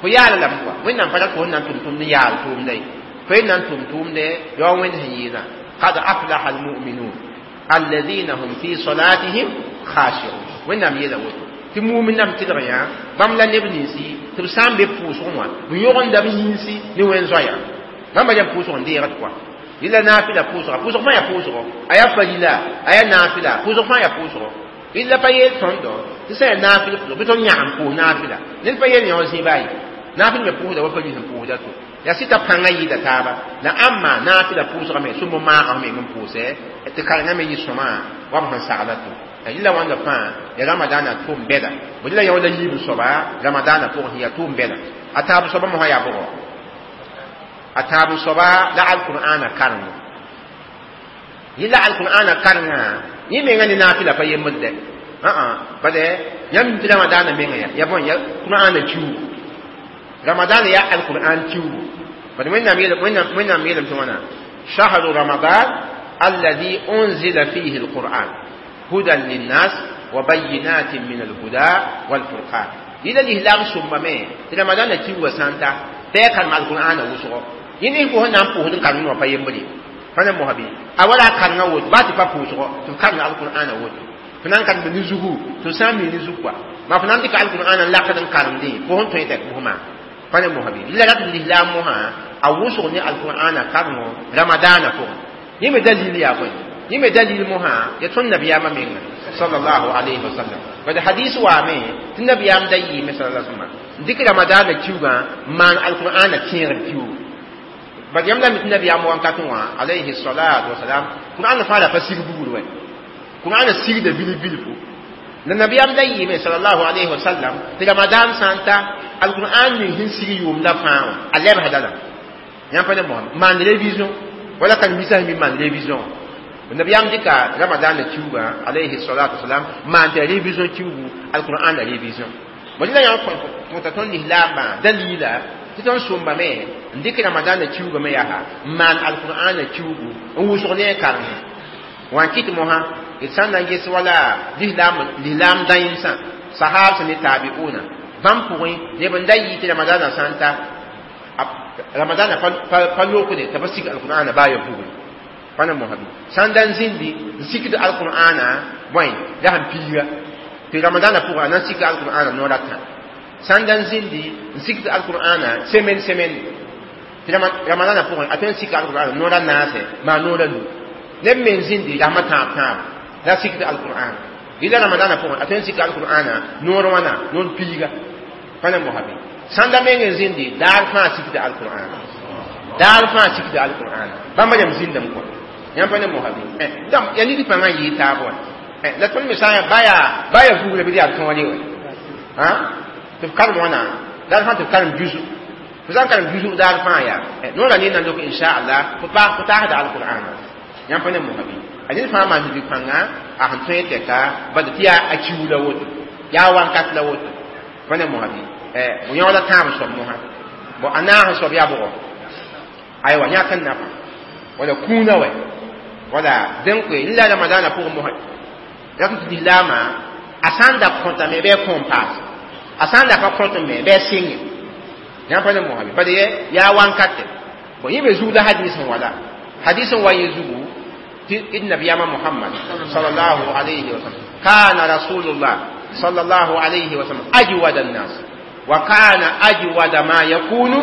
fo yaala lame kɔa wẽnnaam pa rat fo sẽn na n tʋm tʋmd n yaal tʋʋmda ye fo yẽ na n tʋm tʋʋmdɛ yaa wa wẽnd sẽn yɩɩdã qad aflaha almuminun alladhina hum fi salatihim khashi'un wẽnnaam yeela woto tɩ mumin nam tɩlg yã bãmb la neb ninsi tɩ b sã n be pʋʋsgẽ wã b yõgendame yĩnsi ne wẽn zoaya bãmba yam pʋʋsg n deegd kɔa yɩla naafɩla pʋʋsga pʋʋsg fãa yaa pʋʋsgɔ a yaa farila a yaa naafɩla pʋʋsg fãa yaa pʋʋsgɔ yɩla pa yeel tõndo tɩ sã yaa naafɩl pʋʋsg bɩ tõnd yãgem pʋʋs naafɩla ned pa yeel yã wã zĩ baa ye naafɩl me pʋʋsda wa faril sẽn pʋʋsda to yaa sɩta pãngã yɩɩda taaba la ãmba naafɩla pʋʋsga me sũmb maagã meng n pʋʋsɛ tɩ karengã me yɩ sõma wa b sẽn sagla to yɩla wãnda fãa ya ramadaana tʋʋm bɛda bõe la yã la yiib soaba ramadaana pʋgẽ yaa tʋʋm bɛda a taab soaba mosã yaa bʋgɔ a taab soaba la alqur'ana karengo yɩla alqur'ana karengã yẽ menga ne naafɩla pa yembd dɛ bade yãmb tɩ ramadaana menga ya ya bõe ya qur'ana kiuugu ramadaana yaa alqur'an kiuugu bade wẽnnaam wẽnnaam yeelame tɩ wãna shahru ramadan alladhi unzila fihi alqur'an هدى للناس وبينات من الهدى والفرقان إلى الإسلام ثم ما رمضان تي وسانتا تيكر مع القرآن وسو يني هو نام بوهدن كانوا وفا يمبري فانا مهبي أولا كان ووت باتي با بوسو تكان القرآن ووت فنان كان بنزوغو تسامي نزوغوا ما فنان ديك القرآن لا كان كان دي بوهن تويتك بوهما فانا مهبي إلا رب الإسلام مها أوسو ني القرآن كانوا رمضان فوق يمي دليل يا بني yẽ me dalil mosã ya tõnd nabiyaamã menga sallallahu alayhi wa sallam bad hadis waame tɩ nabiyaam da yɩɩme sallallahu alayhi wa sallam n dɩk ramadaana kiugã n maan alqur'ana tẽegr kiugu bad yãmb la mi tɩ nabiyaam wankatẽ wã alayhi salatu wasalam qur'ana fãa la pa sig bugr wɛ qur'ana sigda bilf bilfu la nabiyaam da yɩɩme sallallahu alayhi wa sallam tɩ ramadan sã n ta alqur'an ning sẽn sig yʋʋmda fãa wã a lebsda lame yãmb pa ne mosã maan révision wala karen-biisã sẽn mi maan révision nabiyam dɩka ramadaana kiuugã alayhi salatu wasalam maan tɩ révision kiugu alqur'an la révision bõe la yã kõta tõnd lislaambã dalila tɩ tõnd sõmbame n dɩk ramadaana kiuugã me yaa n maan alqur'ana kiugu n wʋsg ne a karengẽ wã n kɩt mosã d sã n na n ges wala lislaam dãensã sahaabsã ne tabiuna bãmb pʋgẽ neb n da yɩ tɩ ramadaana sã n ta ramadaana pa lokde t'a pa sig alqur'ana baa ya bugre pa na mosã bɩ sã n da n zĩndi n sikd alqur'ana bõe la sẽn piiga tɩ ramadaana pʋgã a na n sika alqur'ana noor a tã sã n da n zĩndi n sikd alqur'ana semaine semaine tɩ ramadaana pʋgẽ a tõe n sika alqur'ana noor a naase maa noor a nu neb me n zĩndi rasmã tãab tãabo La sikda alquran ila ramadana pʋgẽ a tõe n sika alqur'ana noor wãna noor piiga pa ne mosa bɩ sãnda meng n zĩndi daar fãa sikda alqur'an daar fãa sikda alqur'an bãmba yam zĩndame kɔ yãmb pa ne mosa bɩ donc ya nid pãngã n yɩɩ taab wa la tõnd me sã n ba yaa ba yaa vuugra bɩ yaa tõore wɛ tɩ f karem wãna daar fãa tɩ f karem juzu fo sã n karem juzu daar fãa yaa noorã ne na lok inchallah fo paas fo taasda alqur'ana yãmb pa ne mosa bɩ a ned fãa maan bi pãnga a sẽn tõe tɛka bad tɩ yaa a kiu la woto yaa wankat la woto pa ne mosa bɩ bõ yõoda tãab soab mosã bon a naas soab yaa bʋgɔ aywa yãk n nafa wala kũunã wɛ wala dẽn koe la ramadana pʋgẽ mosã rak tɩ lislaamã a sã n da kõtame bɩ a kõom paase a sã n da pa kõt me bɩ a sɩnge yãmb pa ne mosa bɩ bad yaa wankatɛ bon yẽ be zug la hadis n wala hadis n wa yẽ zugu tɩ nabiyama Muhammad sallallahu alayhi wa sallam kana rasulullah sallallahu alayhi wa sallam ajwada an-nas wa kana ajwada ma yakunu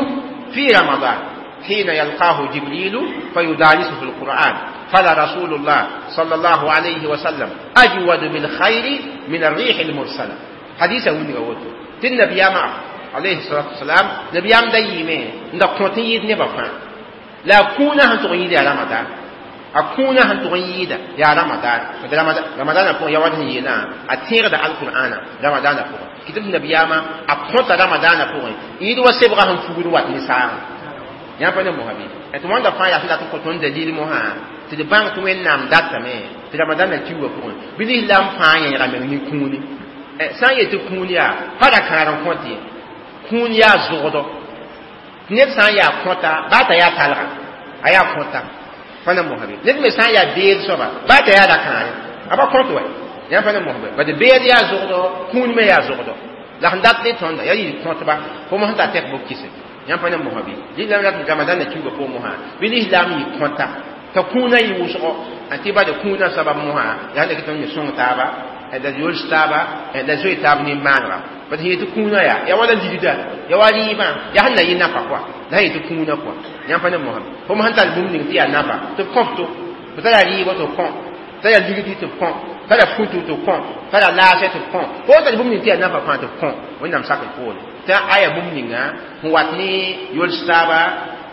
fi ramadan حين يلقاه جبريل فيدارسه القرآن فلا رسول الله صلى الله عليه وسلم أجود بالخير من الريح المرسلة حديث وني ووتو تن نبي عليه الصلاة والسلام نبي أم دايمة nda kõt n yɩɩd nebã fãa la a kũunã sẽn tʋg n yɩɩd yaa ramadan a kũunã sẽn tʋg n yɩɩda yaa ramadan ramadana pʋgẽ ya wat sẽn yeelã a tẽegda alqur'ana ramadana pʋgẽ kɩ tɩ nabiyaamã a kõta ramadana pʋgẽ yɩɩd wa sebga sẽn fugd wat ne saagã yãmb pa ne mosã bɩ tɩ wãnda fãa yaa sẽn dat n kõ tõnd dalil mosã tɩ d bãng tɩ wẽnnaam datame tɩ ramadana kiuugã pʋgẽ bɩ lislaam fãa yẽega meng ne kũuni sã n yet tɩ kũun yaa pa ra kãad n kõt ye kũun yaa zʋgdɔ ned sã n yaa kõta baa t'a yaa talga a yaa kõta pa na mosã bɩ ned me sã n yaa beed soaba baa t'a yaa ra-kãare a pa kõt wɛ yãmb pa na mosã bɩ bad beed yaa zʋgdɔ kũun me yaa zʋgdɔ la sẽn dat ne tõnda yaa yɩ kõtba fo mosã t'a tɛk bo kise yãmb pa ne mosã bɩ lislaam rat ramadan na kiuugã pʋgẽ mosã bɩ lislaam yɩ kõta t'a kũunã yɩ wʋsgo tɩ bad kũunã sabab mosã yaa sẽn tõnd me sõng taaba la yols taaba la zoe taab nin-maanega bad sẽn yetɩ kũunã yaa yaa wala ligda yaa wa rɩɩbã yaa sẽn na yɩ nafa kɔa la sẽn yetɩ kũunã kɔa yãmb pa ne mosã fo sẽn tar bũmb ning tɩ yaa nafa tɩ b kõf to fo tara rɩɩbã tɩ b kõ tara ligdi tɩ b kõ tara futu tɩ b kõ tara laasɛ tɩ b kõ fo tar bũmb ning tɩ yaa nafa fãa tɩ b kõ wẽnnaam sakr poore tɩ aya bũmb ninga sẽn wat ne yols taaba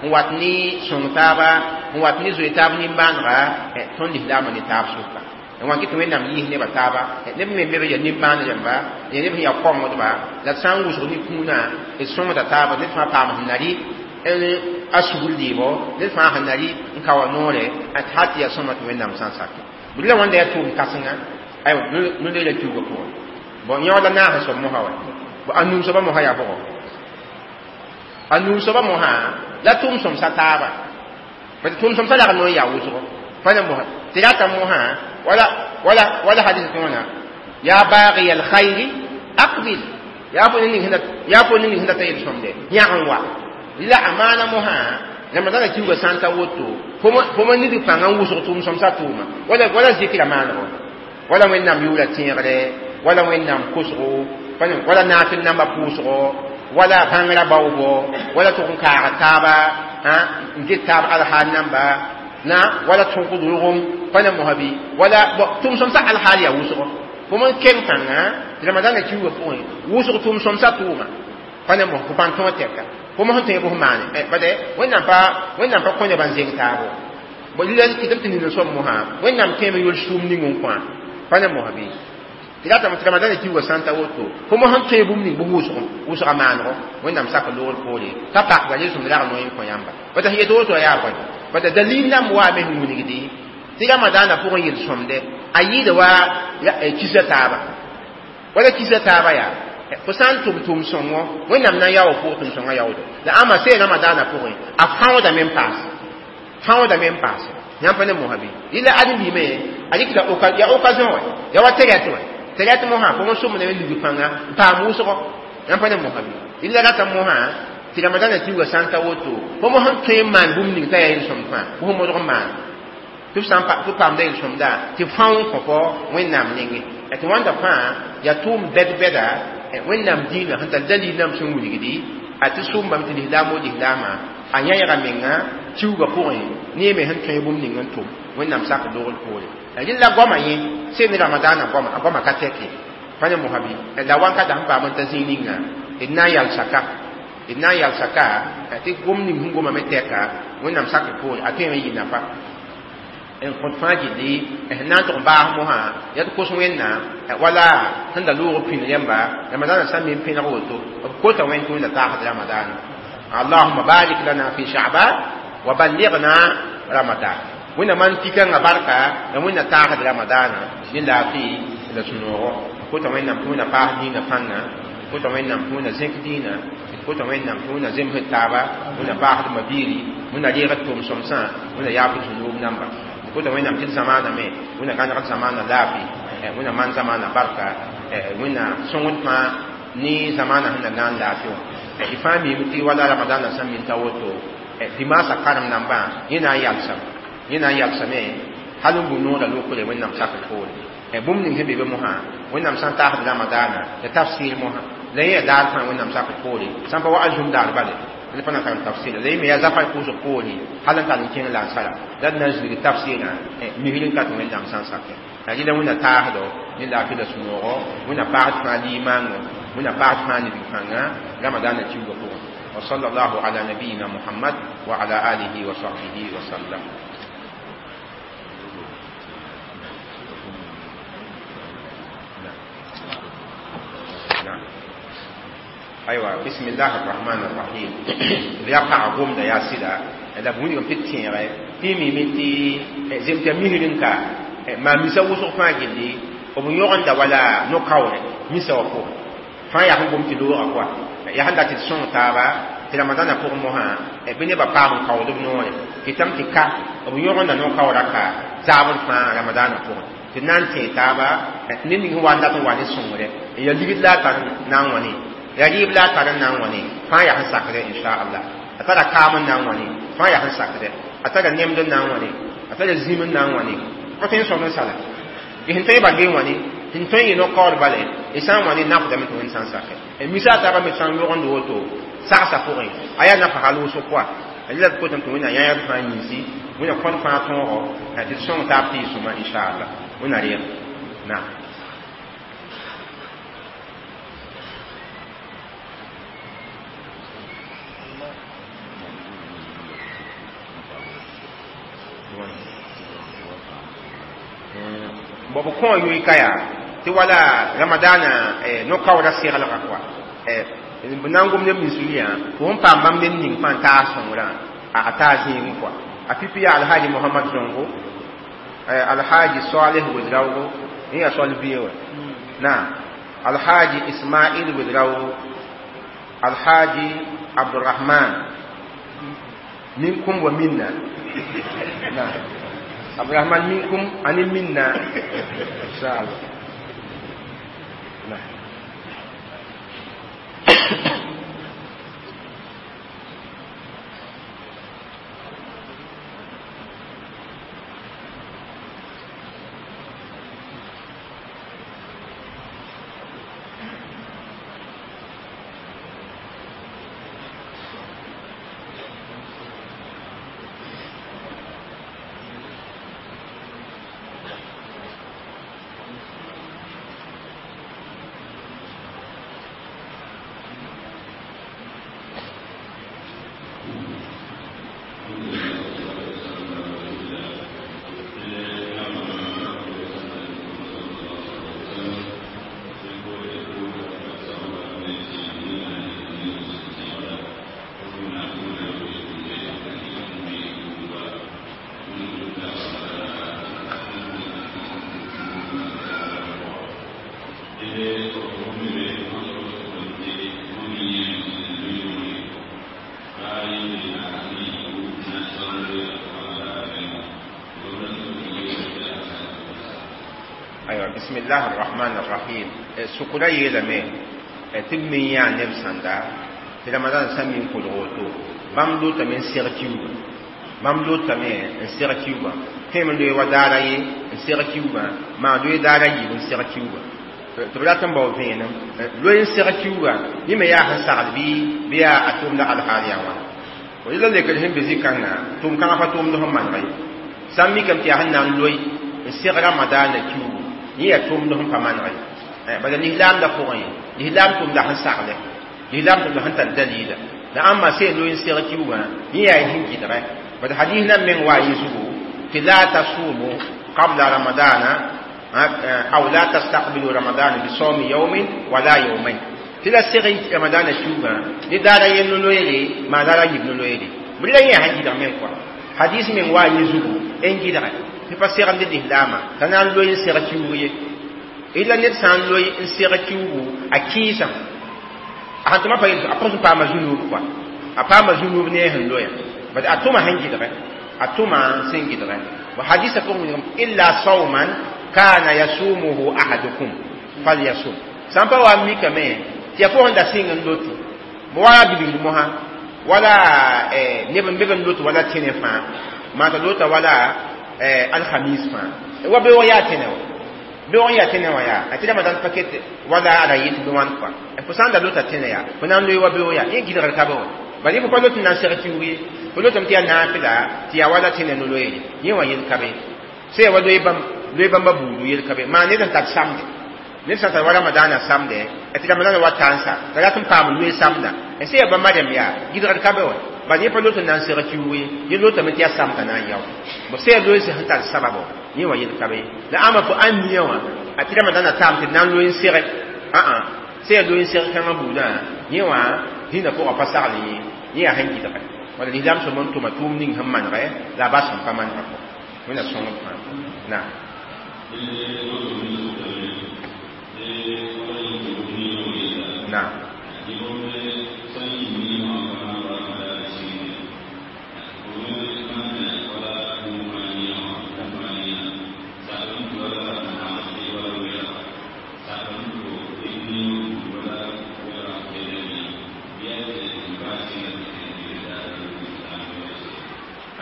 n wat ne sõng taaba n wat ne zoe taab nin-bãanega tõnd lislaamã ne taab sʋka n wa kɩ tɩ wẽnnaam yiis nebã taaba neb me be yaa nin-bãan rãmba ya neb sẽn yaa kõngdba la d sã n wʋsg ne kũunã d sõngda taaba ned fãa paam sẽn na rɩ a sugr lɩɩbɔ ned fãa sẽn na rɩ n ka wa noore tɩ hal tɩ yaa sõma tɩ wẽnnaam sã n sake bʋ la wãnda yaa tʋʋm kãsenga aywa no-leela kiuugã pʋgẽ bon yẽood la naas soab mosã wa bon a nuu soaba mosã yaa bʋgɔ a nuu soaba mosã la tʋʋm sõmsa taaba parce que tʋʋm sõmsa lag n yaa wʋsgo pa ne mosã tɩ rata mosã wala wala wala hadis tõona ya baghi alkhayri aqbil ya fo ning sẽn ya fo ning sẽn dat yel sõmde yãg n wa la amaana mosã ramadana kiuugã sã n ta woto fo ma nid pãngã n wʋsg tʋʋm sõmsa tʋʋma wala wala zikra maanego wala wẽnnaam yʋʋra tẽegre wala wẽnnaam kosgo wala naafɩl namba pʋʋsgo wala bãngrã baoobo wala tʋg n kaaga taaba n get taab alhaal namba na wala tõkd rogem pa ne mosã bɩ wala tʋʋm sõmsa alhaal yaa wʋsgo fo n keng pãnga tɩ ramadana kiuugã pʋgẽ wʋsg tʋʋm sõmsa tʋʋma pa ne mos fo pãn tõog tɛka fo mos n tõe bʋs maane bade wẽnnaam pa wẽnnaam pa kõ nebã n zeng taabo bon lila kɩtame tɩ nin soab mosã wẽnnaam tẽeme yol sũum ning n kõa pa ne mosã bɩ tɩ ratame tɩ ramadana kiuugã sã n ta woto fo mos n tõe bũmb ning bʋ wʋsg wʋsga maanego wẽnnaam sak loogr poore t'a pakda yel-sõmd rag noe n kõ yãmba bad sẽn yet woto yaa bõe bad dalil nan waame sẽn wilgdi tɩ ramadana pʋgẽ yel-sõmde a yɩɩda wa kisa taaba wala kisa taaba yaa fo sã n tʋm tʋʋm sõngo wẽnnaam na n yaoog pʋg tʋm sõngã yaoodo la ãmba see ramadana pʋgẽ a fãoodame n paase fãoodame n paase yãmb pa ne mosã bɩ yɩla ãdem-biimẽ a rɩkda yaa occasion wɛ yaa wa tɛrɛt wɛ tɛrɛt mosã fo n sõmdame lug pãnga n paam wʋsgo yãmb pa ne mosã bɩ yɩla rata mosã tɩ ramadana kiuugã sã n ta woto fo mos n tõe n maan bũmb ning t'a yaa yel-sõmd fãa fo sẽn modg n maan tɩ f sã n paamda yel-sõmda tɩ fãoo n kõ fo wẽnnaam nengẽ tɩ wãnda fãa yaa tʋʋm bɛd-bɛda wẽnnaam dĩinã sẽn tar dalil nam sẽn wilgdi a tɩ sʋʋmbame tɩ lislaam o lislaamã a yãeega menga kiuugã pʋgẽ ne me sẽn tõe bũmb ning n tʋm Wẽnnaam sak logr poore rɩla goamã yẽ sẽn ne ramadaanã goama a goamã ka tɛke pa ne mosã bɩ la wankata sẽn paam n ta zĩig ninga d na n yalsa ka d na n yalsa ka tɩ gom ning sẽn goma me tɛka wẽnnaam sakr poore a tõeme n yɩ nafa n kõt fãa gilli sẽn na n tʋg n baas mosã yaa tɩ kos wẽnnaam wala sẽn da loog pĩnd rẽmba ramadaanã sã n me n pẽneg woto b kota wẽnd tɩ wẽnda taasd ramadaanã allahuma barik lana fi sha'ban wa ballighna ramadan wẽnna maan pikãngã barka la wẽnna taasd ramadaanã ne laafɩ la sũ-noogo kota wẽnnaam tɩ wẽnna paas dĩinã pãnga kota wẽnnaam tɩ wẽnna zẽk dĩinã kota wẽnnaam tɩ wẽnna zemsd taaba wẽnna paasd mabiiri wẽnna reegd tʋʋm-sõmsã wẽnna yaafd zũnoob namba kota wẽnnaam tɩ d zamaana me wẽnna gãnegd zamaana laafɩ wẽnna maan zamaana barka wẽnna sõngd fãa ne zamaana sẽn na gãan laafɩ wã y fãa miime tɩ wala ramadaanã sã n min ta woto dimaasã karem nambã yẽ na n yalsame yẽ na n yalsame hal n bũ noorã lokre wẽnnaam sakr poore bũmb ning sẽn be be mosã wẽnnaam sã n taasd ramadaanã la tafsir mosã la yẽ yaa daar fãa wẽnnaam sakr poore sã n pa wa azum daar bale la pa na karem tafsir la yẽ me yaa zafar pʋʋsg poore hal n tar n kẽng lansara la d na n zĩig tafsirã misr n ka tɩ wẽnnaam sã n sakɛ la rɩla wẽnna taasdo ne laafɩ la sũ-noogo wẽnna paasd fãa liimaango wẽnna paasd fãa ned pãnga ramadaanã kiuugã pʋgẽ وصلى الله على نبينا محمد وعلى آله وصحبه وسلم. نعم. أيوة بسم الله الرحمن الرحيم. يقع قوم يا سيدا لا بوني يوم تتين تيمي متي زمت مهرنكا ما مسا وسو فاجلي ومن يغند ولا نكاور مسا وفو فا يا قوم تلو أقوى ya sẽn dat tɩ d sõng taaba tɩ ramadaanã pʋgẽ mosã bɩ nebã paam n kaood b noore kɩtame tɩ ka b yõgenda no-kaoora ka zaabr fãa ramadaanã pʋgẽ tɩ d na n tẽe taaba ned ning sẽn wa n dat n wa ne sõngre ya ligd la a tar n na n wãne ya rɩɩb la a tar n na n wãne fãa yaa sẽn sakdɛ inchallah a tara kaam n na n wãne fãa yaa sẽn sakdɛ a tara nemd n na n wãne a tara zĩm n na n wãne pa tõe n sõmd n sala y sẽn tõe barge n wãne sẽn tõe n yɩ no-kaoor bale y sã n wãne nafdame tɩ wẽnd sã n sakɛ misa taaba me sã n yõgend woto sagsã pʋgẽ a yaa nafa hal wʋsg pʋa la d kotame tɩ wẽnna yãyb fãa yĩnsi wẽnna kõd fãa tõogo tɩ d sõng taab tɩ yɩ sõma inchallah wẽnna reeg naam. Bon b kõ yoe ka yaa tɩ wala ramadaanã no-kaoodã seglgã koa b na n gom neb nins yã fo sẽn paam bãmb ned ning fãa n taas sõngrã a taa zĩigẽ koa a pipi yaa alhaji mohamad zongo alhaji saleh wedraogo yẽ yaa sol bie wã naam alhaji ismail wedraogo alhaji abdurahman minkum wa minna naam abdurahman minkum ani minna inshallah. نعم. بسم الله الرحمن الرحيم. سكرا يلمي تبمي يا نب ساندا في رمضان سامين كل بام لو تمن سيرتيو بام لو تمن سيرتيو تم لو ودارا يي سيرتيو ما لو دارا يي سيرتيو تبلا تم باو فين لو سيرتيو يما يا حسال بي بيا اتوم لا الحاليا وا وإلا لك الهم بزي كان توم كان فتوم لهم من غي Sã n mikame tɩ yaa sẽn na n loe n seg ramadaanã kiuugu yẽ yaa tʋʋmd sẽn pa maneg ye bala lislaamdã pʋgẽ lislaam tʋmda sẽn sagle lislaam tʋmda sẽn tar dalila la ãmba sẽn loe n seg kiugã yẽ yaa sẽn gɩdgɛ bala hadis nan meng waa yẽ zugu tɩ la tasumu qabla ramadana aw la tastaqbilu ramadana bisawmi yawmin wala yawmayn tɩ la seg ramadana kiugã ne daara yel no-loeere maa daara yib no-loeere bɩ la yẽ yaa sẽn gɩdg meng kɔa hadis meng waa yẽ zugu n gɩdgɛ tɩ pa segd lislaamã t'a na n loe n seg kiuug ye ila ned sã n loe n seg kiugu a kɩɩsã a sẽn tʋma pa a pʋs n paama zu-nuub kɔa a paama zu-nuub ne a sẽn loya bad a tʋma sẽn gɩdgɛ a tʋma sẽn gɩdgɛ wa hadisa pʋgẽ wilgame illa sawman kana yasumuhu ahadukum falyasum sã n pa wa n mikame tɩ yaa fo sẽn da sɩng n loti wala bilgd mosã wala neb n be b n lot wala tẽne fãa maa t'a lota wala alhamis fãa wa beoog yaa tẽne wa beoog n yaa tẽne wã yaa a tɩ ramadan paket wala ara yet bɩ wãn kɔa fo sã n da lota tẽne yaa fo na n loe wa beoog yaa yẽ gɩdgr ka be wa bala fo pa lot n na n seg kiuug ye fo lotame tɩ yaa naafɩla tɩ yaa wala tẽne no-loeere yẽ wã yel ka be sã yaa wa loe bãmb loe bãmba buudu yel ka be maa ned n tar samde ned sã n tar wa ramadaana samde tɩ ramadaana wa tãnsa t'a rat n paam loe samda sã yaa bãmba rẽmb yaa gɩdgr ka be wa bala yẽ pa lot n na n seg kiuug ye yẽ lotame tɩ yaa samda na n yao bo sã yaa loe sẽn tar sababo yẽ wã yel ka be la ãmba fo ãn nia wã a tɩ ramadaana taam tɩ d na n loe n sege ã-ã sã yaa loe n seg kãngã buudã yẽ wã dĩnã pʋgã pa sagl yẽ yẽ yaa sẽn gɩdgɛ wala lislaam sõm n tʋma tʋʋm ning sẽn manegɛ la a bas sẽn pa manegã kɔ wẽnna sõngd fãa naam. Naam.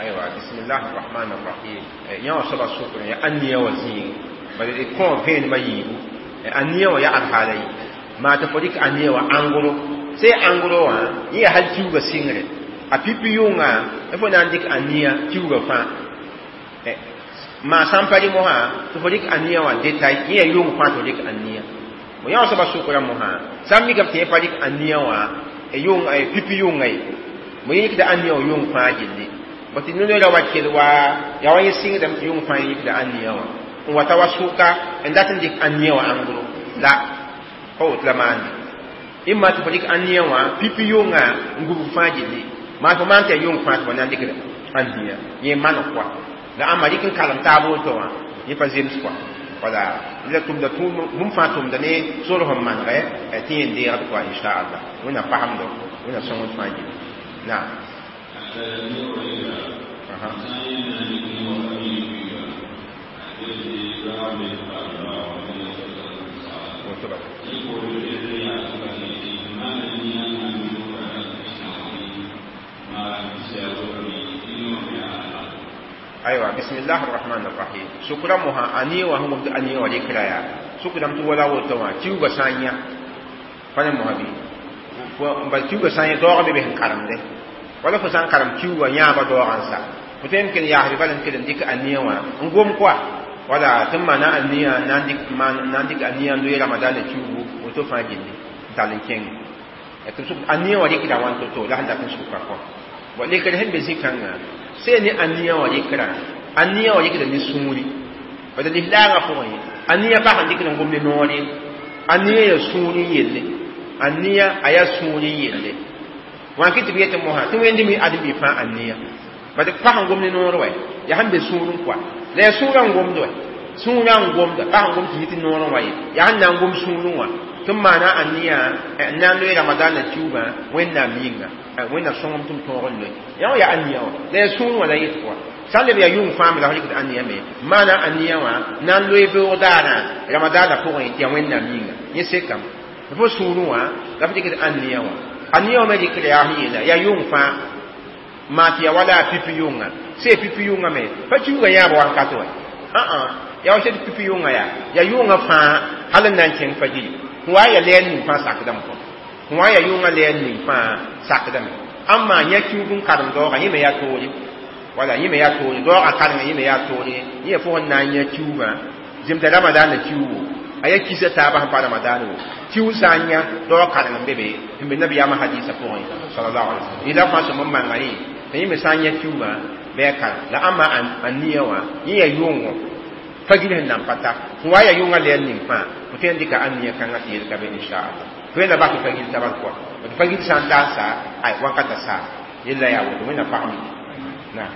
Aywa, bismillah arrahman arrahim. Yã wã soaba sʋkr ya ãnia wã zĩig bala d kõ vẽenemã yiibu ãnia wã yaa alhaala ye maa tɩ fo dɩk ãnia wã ãngro sã ya ãngro wã yẽ yaa hal kiuugã sɩngre a pipi yʋnga fo na n dɩk ãnia kiuugã fãa maa sã n pa rɩ mosã tɩ fo dɩk ãnia wã detay yẽ yaa yʋng fãa tɩ fo dɩk ãnia bo yã wã soaba sʋkra mosã sã n mikame tɩ yẽ pa dɩk ãnia wã yʋng pipi yʋnga ye mo yẽ yikda ãnia wã yʋng fãa gilli bo tɩ no-loeera wa kell wa yaa wa yẽ sɩngdame tɩ yʋng fãa yikda ãnia wã n wata wa sʋka n dat n dɩk ãnia wã ãngro la pa woto la maande ɩma tɩ fo dɩk ãnia wã pipi yʋnga n gubg fãa gilli maa fo maan tɩ yaa yʋng fãa tɩ fo na n dɩkd ãnia yẽ maneg kɔa la ãmba dɩk n kalem taab woto wã yẽ pa zems kɔa wala la tʋmda bũmb fãa tʋmda ne sor sẽn manegɛ tɩ yẽ n deegd kɔa inchallah wẽnnaam pasemdo wẽnnaam sõngd fãa gilli naam. Aywa, bismillah arrahman arrahim. Sukra moha ani wa hum ani wa dikra ya sukra tu wala woto wa kiuga sanya fane moha bi ba kiuga sanya doga be be karamde wala fo sã n karem kiuugã yãaba doogã n sa fo tõe n kell yaasd bala n kell n dɩk ania wã n gom koa wala tɩ n maana ania na n dɩk ania n loe ramadana kiuugu woto fãa gilli n tall n kẽnge tɩ sʋk ania wã rɩkda wãn to-to la sẽn dat n sʋka kɔ bo lekr sẽn be zĩ-kãngã see ne ania wã rɩkra ania wã rɩkda ne sũuri bala lislaangã pʋgẽ ania pa sẽn dɩkd n gom ne noor ye ania yaa sũur n yelle ania a yaa sũur n yelle wã kɩ tɩ b yetɩ mosã tɩ wẽnd mi ãdem-bi fãa ania bad pa sẽn gom ne noor wɛ yaa sẽn be sũurẽ kɔa la yaa sũurã n gomd wɛ sũurã n gomda pa sẽn gom tɩ yɩ tɩ noorẽ wa ye yaa sẽn na n gom sũurẽ wã tɩ n maana ania n na n loe ramadaanã kiuugã wẽnnaam yĩnga wẽnnaam sõngem tɩ m tõog n loe yã wã yaa ania wã la yaa sũurẽ wã la yet kɔa sã n leb yaa yʋng fãa me la f rɩkd ania me maana ania wã na n loe beoog daarã ramadaanã pʋgẽ tɩ yaa wẽnnaam yĩnga yẽ sekame fo sũurẽ wã la f rɩkd ania wã ania wã me rɩkd yaa sẽn yeela yaa yʋng fãa maa tɩ yaa wala a pipi yʋnga sã pipi yʋnga me pa kiuugã yãab wakat wɛ ã-ã yaa wa tɩ pipi yʋnga yaa yaa yʋnga fãa hal n na n kẽng fajiri n wa yaa lɛɛr ning fãa sakdame kɔ n wa yaa yʋnga lɛɛr ning fãa sakdame ãmb maa yã kiuug n karem daoogã yẽ me yaa toore Wala yẽ me yaa toore daoogã karengã yẽ me yaa toore yẽ fo sẽn na n yã kiuugã zemta ramadaanã kiuugo a yaa kisa taabã sẽn pa ramadaane wo kiuug sã n yã daoog kareng n be be sẽn be nabiyaamã hadisa pʋgẽ sallallahu alaihi wasallam yẽla fãa sõm n manga yẽ t'a yẽ me sã n yã kiuugã bɩ a kareng la ãmba a nia wã yẽ yaa yʋngõ fagil sẽn nan pa ta sẽn wa yaa yʋngã lɛɛr ning fãa fo tõe n dɩka a nia kãngã tɩ yel ka be inchallah fo yẽla bas tɩ fagil tabal pʋga tɩ fagil sã n ta n sa ay wakata sa yella yaa woto wẽnna pag mik naam.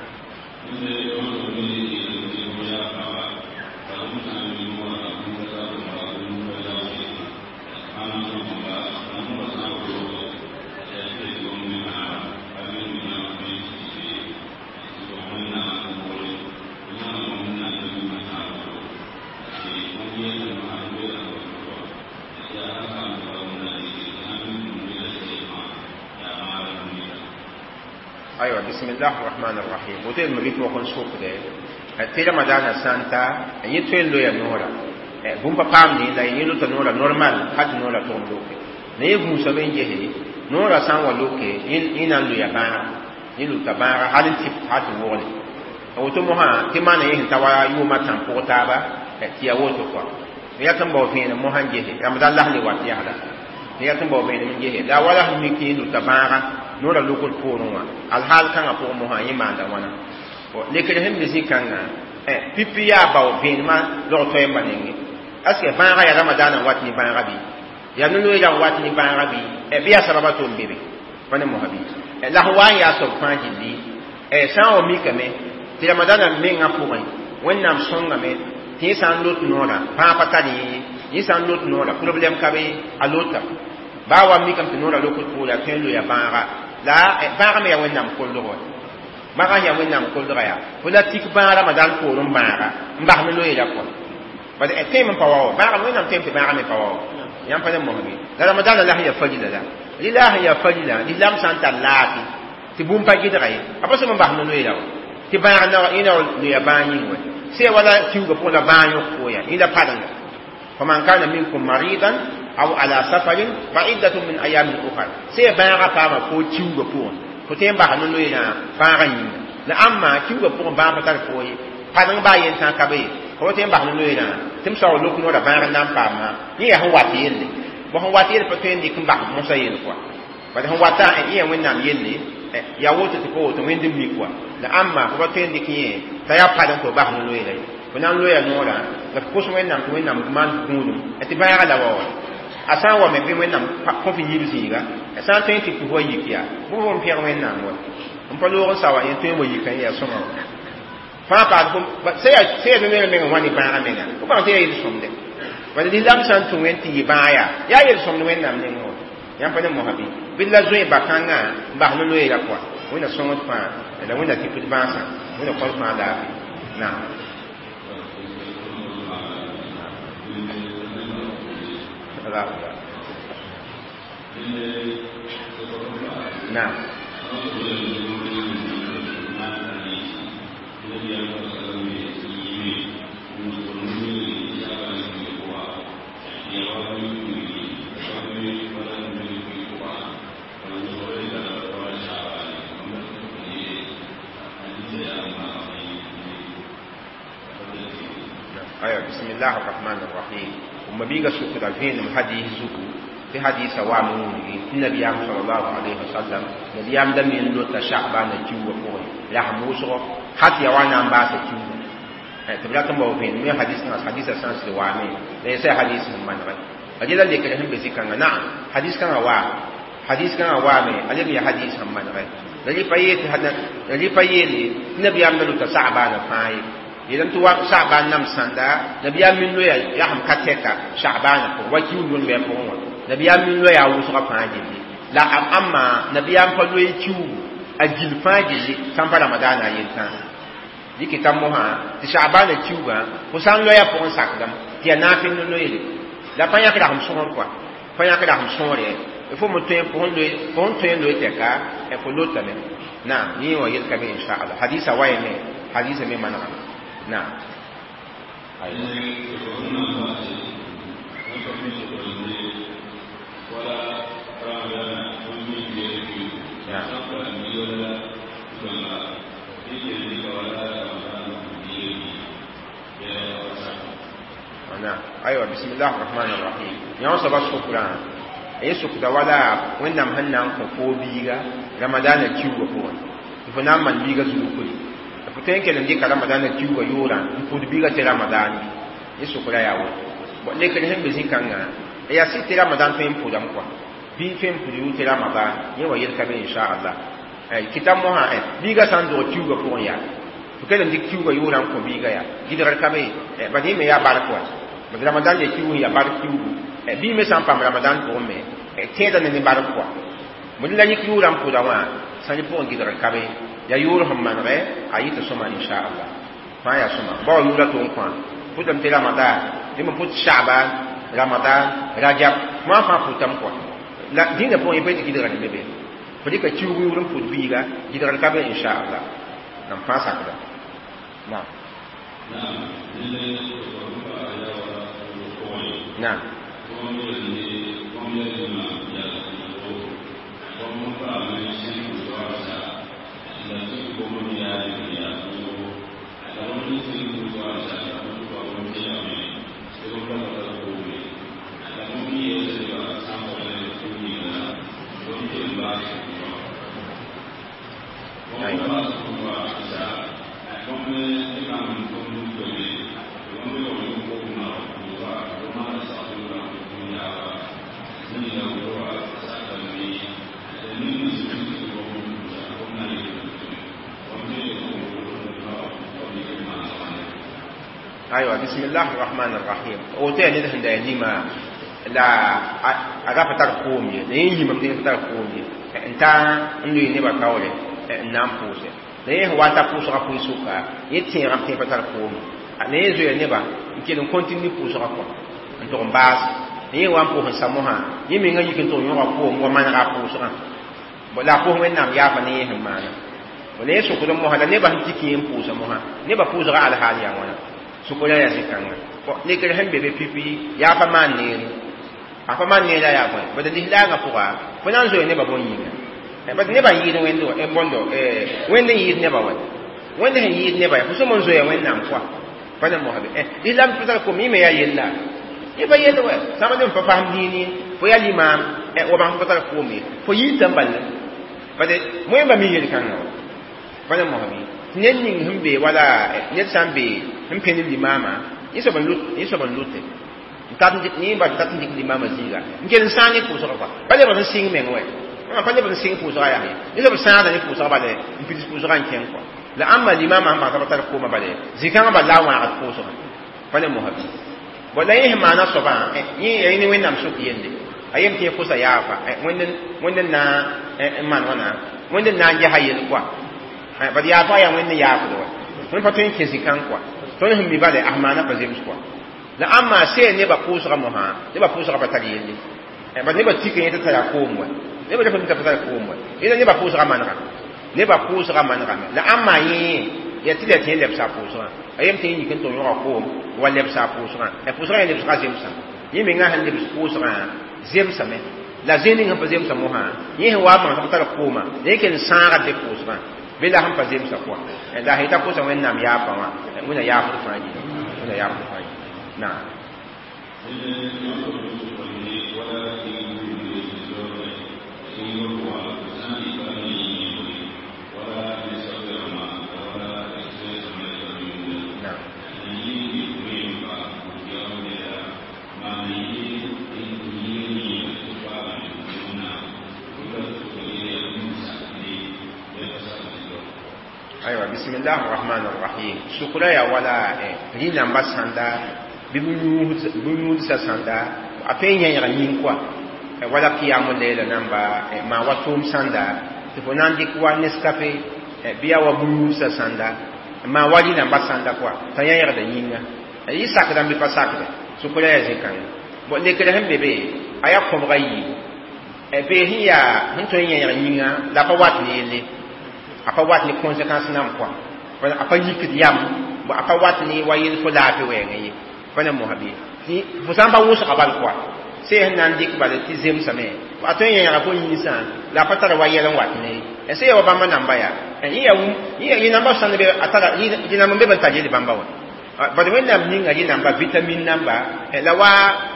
أيوة بسم الله الرحمن الرحيم وتين مبيت وكن سوق ده تيرا مدانا سانتا يتوين لو يا نورا بومبا بامني لا يلو تنورا نورمال حد نورا توم لوكي نيه موسى بين جهي نورا سان ولوكي إن إن لو يا با يلو تبارا هل تيب هات وولي woto mo ha tɩ maana yẽ sẽn ta wa yʋʋmã tãm pʋg taaba tɩ ya woto kɔa ya tɩ n bao vẽenem mosã n gese ramadan las le wat yasda ya tɩ n bao vẽenem n gese la wala sẽn mik tɩ luta bãaga noora lukd poorẽ wã alhaal kãngã pʋgẽ mosã yẽ maanda wãna lekr sẽn be zĩ-kãngã pipi yaa bao vẽenemã log toɛɛmbã nengẽ est ce que bãagã yaa ramadaanã n wat ne bãaga bɩ yaa no-loeera n wat ne bãaga bɩ bɩ yaa sababa to n be be pa ne mosã bɩ la sẽn wa n yaa soab fãa gilli sã n wa mikame tɩ ramadaanã mengã pʋgẽ wẽnnaam sõngame tɩ yẽ sã n lot noorã bãag pa tar yẽ yẽ sã n lot noorã problɛm ka be a lota baa wa mikame tɩ noorã lokd poore a tõe n loya bãaga la bãagã me yaa wẽnnaam koldg wa bãagã yaa wẽnnaam koldga yaa fo la tik bãag ramadan poorẽ bãaga n bas no-loeera pʋga bad tẽem n pa wa wa bãagã wẽnnaam tẽem tɩ bãagã me pa wa wa yãmb pa ne mosbe la ramadaanã la sẽn yaa farila la rɩla sẽn yaa farila lislaam sã n tar laafɩ tɩ bũmb pa gɩdga ye a pa sõm n bas no-loeera wa tɩ bãag yẽ na loya bãag yĩng wɛ sẽn wala kiuugã pʋgẽ la bãag yõk fo yaa yẽ la parenga faman kana minkum maridan aw ala safarin fa iddatun min ayamin ukhar sẽn bãagã paama fo kiuugã pʋgẽ fo tõe n bas no-loeerã bãagã yĩnga la ãmba kiuugã pʋgẽ bãag pa tar fo ye padeng baa yentã ka be ye fo tõe n bas no-loeerã tɩ m sao lok noorã bãag n na n paama yẽ yaa sẽn wat yelle bõ sẽn wat yelle pa tõe n dɩk n bas mosã yell kɔa bad sẽn wata yẽ yaa wẽnnaam yelle yaa woto tɩ pa woto wẽnd n mik wa la ãmba fo pa tõe n dɩk yẽ t'a yaa padeng tɩ f bas no-loeera ye fo na n loya noorã la f kos wẽnnaam tɩ wẽnnaam maan gũudum tɩ bãaga la wa wa a sã n wa me bɩ wẽnnaam kõ f yiib zĩiga a sã n tõe n tɩ pʋs wa yik yaa bʋ f n pẽg wẽnnaam wa n pa loog n sa wa yẽ tõe n wa yika yẽ yaa sõma wa fãa paas sẽn yaa no-loeera meng n wa ne bãaga menga fo bãng tɩ yaa yel-sõmde bala lislaam sã n tũ wẽn tɩ yɩ bãag yaa yaa yel-sõmd wẽnnaam nengẽ wa yãmb pa ne mosã bɩ bɩ la zoe ba-kãngã n bas no-loeera pʋga wẽnna sõngd fãa la wẽnna tɩ pd bãasã wẽnna kõs fãa laafɩ naam. نعم. أيوة بسم الله الرحمن الرحيم وما بيغا سوكرا فين حديث زكو في حديث وامون النبي صلى الله عليه وسلم نبي أم دم يندو شعبان جوا فوق لا موسو حتى يوانا أم باس جوا تبلا تم بوفين من حديث ناس حديث سانس وامي ليس حديث من غير أجل اللي كلهم بذكر نعم حديث كان وا حديث كان وامي ألم يا حديث من غير لذي فيت هذا لذي فيت النبي أم دلو شعبان فاي idan tɩ wa sha'ban nam sãnda nabiyaam min loya yaa sẽn ka tɛka sha'bana pʋgẽ wa kiuud wẽn-bɛɛ pʋgẽ wã nabiyaam min loya a wʋsgã fãa gilli la ãmba nabiyaam pa loe kiuugu a gil fãa gilli sãn pa ramadaana a yel-tãa dɩkɩ mosã tɩ sha'bana kiuugã fo sã n loya pʋgẽ sakdame tɩ yaa naafɩ no loeere la pa yãk rasem sõor kɔa pa yãk rasem sõore fo me tõe fo sẽn tõe n loe tɛka fo lotame naam yẽ wã yel ka be inchallah hadisa wayame hadisa me manegame. نعم. نعم. Na aywa, bismillah rahman rahim. Yã soaba sʋkrã y sʋkda wala Wẽnnaam sẽn na n kõ foo biiga Ramadana kiuugã pʋgẽ tɩ fo na n maan biiga zulkuri, fo tõe n kell n dɩka Ramadana kiuugã yʋʋrã n pʋd biiga tɩ Ramadan bɩ? Y sʋkrã yaa woto. Bon, lekr sẽn be zĩ-kãngã yaa sɩd tɩ Ramadan tõe n pʋdame kɔa, bɩ tõe n pʋd yʋʋr tɩ Ramadan yẽ wa yel ka be, inchallah. Kɩta mosã biiga sã n dog kiuugã pʋgẽ yaa fo kell n dɩk kiuugã yʋʋrã n kõ biiga yaa gɩdgr ka be, bad yẽ me yaa bark wa. Bad Ramadan le kiuug yaa bark kiuugu, bii me sã n paam Ramadan pʋgẽ me tẽeda ne ne bark kɔa. Bõe la yik yʋʋrã n pʋda wã sã yẽ pʋgẽ gɩdgr ka be, yaa yʋʋr sẽn manegɛ a yɩ tɩ sõma, inchallah. Fãa yaa sõma bao yʋʋra tʋ n kõ pʋtame tɩ Ramadan dẽ me pʋt Sha'ban, Ramadan, Rajab fãa fãa pʋtame kɔa. La dĩnã pʋgẽ yẽ pa yetɩ gɩdgr me be fo dɩka kiuug yʋʋr n pʋd biiga, gɩdgr ka be, inchallah. Nam fãa sakda naam. Naam. Aywa, bismillah rahman rahim. Woto yaa ned sẽn da yaa lima la a ra pa tar koom ye, la yẽ yĩmame tɩ pa tar koom ye n ta n loe nebã kaoore n na n pʋʋse. La yẽ sẽn wa n ta pʋʋsgã pʋɩ-sʋka, yẽ tẽegame tɩ yẽ pa tar koom. La yẽ zoeya nebã n kell n kõntine ne pʋʋsgã kɔ n tʋg n baas. Yẽ wa n pʋʋs n sa mosã, yẽ mengã yik n tʋg n yõga koom wa manega a pʋʋsgã la a pʋʋs Wẽnnaam yaafa ne yẽ sẽn maana. La yẽ sʋkd mosã la nebã sẽn tik yẽ n pʋʋsa mosã, nebã pʋʋsgã alhaal yaa wãna? Sʋkra yaa zĩ-kãnga. Lekr sẽn be be pipi yaa pa maan neere, a pa maan neera yaa bõe? Bad lislaangã pʋga fo na n zoe nebã bõn yĩnga, bad nebã n yɩɩd Wẽnd bõndo, Wẽnd n yɩɩd nebã wa, Wẽnd sẽn yɩɩd nebã yaa fo sõm n zoeya Wẽnnaam kɔa pa ne mosã be lislam pa tar kom. Yẽ me yaa yella, yẽ pa yell wɛ sãma dẽ pa fasem dĩin ye fo yaa limaam wa bãng fo pa tar koom ye, fo yɩɩta n bal bad wẽmba mi yel-kãngã wa pa ne mosã bɩ. Tɩ ned ning sẽn be wala ned sã n be sẽn pẽnd limaamã, yẽ soab n lʋte yẽ ba tat n dɩk limaamã zĩiga n kell n sãag ne pʋʋsgã kɔa, pa lebg n sɩng meng wɛ, pa lebg n sɩng pʋʋsgã yaa ye, yẽ soab sãagda ne pʋʋsgã bale n pids pʋʋsgã n kẽng kɔa. La ãmba limaamã sẽn bãng t'a pa tar koomã bale zĩ-kãngã bal la a wãagd pʋʋsgã pa ne mosã bɩ. Bon, la yẽ sẽn maana soabã yẽ yaa ne Wẽnnaam sʋk yelle, a yem tɩ yẽ kosa yaafa Wẽnd n na n maan wãna, Wẽnd n na n gesa yell kɔa, bad yaafa yaa Wẽnd n yaafd wa. Tõnd pa tõe n kẽ zĩ-kãng kɔa, tõnd sẽn mi bale a maana pa zems kɔa. La ãmba sẽn nebã pʋʋsga mosã, nebã pʋʋsga pa tar yelle, bad nebã tik yẽ t'a tara koom wa, nebã ref n t'a pa tar koom wa, yẽla nebã pʋʋsga manega, nebã pʋʋsga manegame. La ãmba yẽ yaa tɩ la tɩ yẽ lebsa a pʋʋsgã, a yem tɩ yẽ yik n tʋg yõga koom wa lebsa a pʋʋsgã, pʋʋsgã yẽ lebsga zemsã, yẽ mengã sẽn lebs pʋʋsgã zemsame. La zẽ ning sẽn pa zemsa mosã, yẽ sẽn wa n bãng t'a pa tar koomã, la yẽ kell n sãagd pʋʋsgã bɩ la sẽn pa zemsa kɔa. La sẽn yeta kosa Wẽnnaam yaafa wã, Wẽnna yaafd fãa yĩnga, Wẽnna yaafd fãa yĩnga. Naam. Aywa, bismillah rahman rahim. Sʋkra yaa wala rĩnamba sãnda bɩ bũn-yũudsa sãnda a tõe n yẽega yĩng kɔa, wala qiyam leela namba maa wa tʋʋm sãnda tɩ fo na n dɩk wa Nescafe bɩ yaa wa bũn-yũudsa sãnda maa wa rĩnamba sãnda kɔa t'a yẽegda yĩnga yɩ sakdã bɩ pa sakda. Sʋkra yaa zĩ-kãnga. Bon, lekr sẽn be be a yaa kõbga yiibu bee sẽn yaa sẽn tõe n yẽeg yĩnga la a pa wat ne yelle, a pa wat ne conséquence nam kɔa, a pa yikd yam, a pa wat ne wa yel fo laafɩ wɛɛngã ye pa ne mosã bɩ fo sã n pa wʋsga bal kɔa sẽn sẽn na n dɩk bala tɩ zemsame a tõe n yẽega fo yĩnsã la a pa tara wa yɛl n wat ne sẽn yaa wa bãmba namba yaa yẽ namba sãnd be a tara yẽ namba n be b n tar yel bãmba wa. Bad wẽnnaam ninga rẽ namba vitamine namba la wa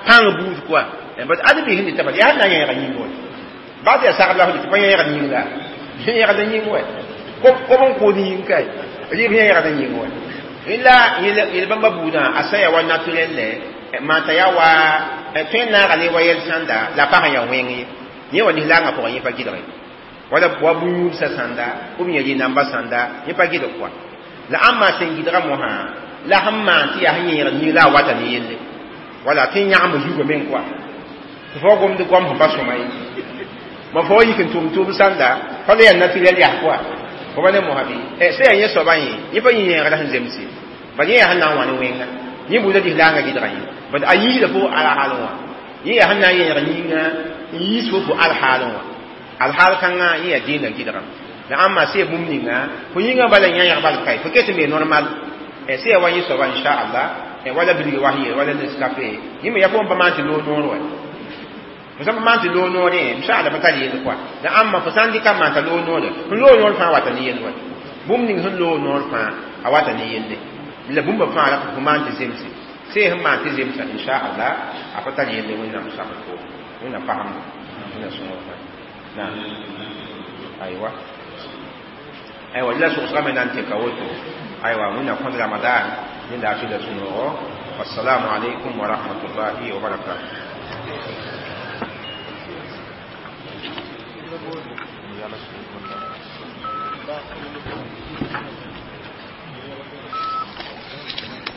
pãng buud kɔa bad ad bi sẽn dɩta bala yaa na n yẽega yĩng wa baa tɩ yaa sagd la f dɩt pa yẽegd yĩng la yẽegd yĩng wa kob n kʋʋd yĩng kae rɩɩb yẽegd yĩng wa la yel bãmba buudã a sã ya wa naturel lɛ maan t'a yaa wa tõe n naaga ne wa yɛl sãnda la a pa sẽn yaa wẽng ye yẽ wa lislaangã pʋgẽ yẽ pa gɩdge wala wa bũn-yũudsã sãnda b yẽ rɩ namba sãnda yẽ pa gɩdg kɔa la ãmb maa sẽn gɩdga mosã la sẽn maan tɩ yaa sẽn yẽegd yĩng la a wata ne yelle wala tɩ yãgemb zugame meng kɔa tɩ fo gomd goam sẽn pa sõma ye ma fo yik n tʋm tʋʋm sãnda pa la yaa naturel yas kɔa fo pa ne mosã bɩ sã yaa yẽ soabã yẽ yẽ pa yẽ yẽegda sẽn zemse bal yẽ yaa sẽn na n wa ne wẽnga yẽ buudã lislaangã gɩdga yẽ bad a yiisda fo alhaalẽ wã yẽ yaa sẽn na n yẽeg yĩnga n yiis fo fo alhaalẽ wã alhaal kãngã yẽ yaa dĩinã gɩdgame la ãmba sã bũmb ninga fo yĩngã bala yã bal kae fo ket n be normal sã yaa wa yẽ soaba inchallah wala bilg wa yeel wala Nescafé yẽ me yaa fo n pa maan tɩ loog noor wa fo sã n pa maan tɩ loog noorẽ inchallah pa tar yell kɔa la ãmba fo sã n dɩka n maan t'a loog noore sẽn loog noor fãa wata ne yell wa bũmb ning sẽn loog noor fãa a wata ne yelle la bũmba fãa la fo maan tɩ zemse sã sẽn maan tɩ zemsa inchallah a pa tar yelle wẽnnaam sagl fo wẽnnaam pasemdo wẽnnaam sõngr fãa naam aywa aywa la sogsgame na n teka woto aywa wẽnnaam kõd ramadan ne laafɩ la sũ-noogo wassalamu alaikum wa rahmatullahi wa barakatuh. Thank you.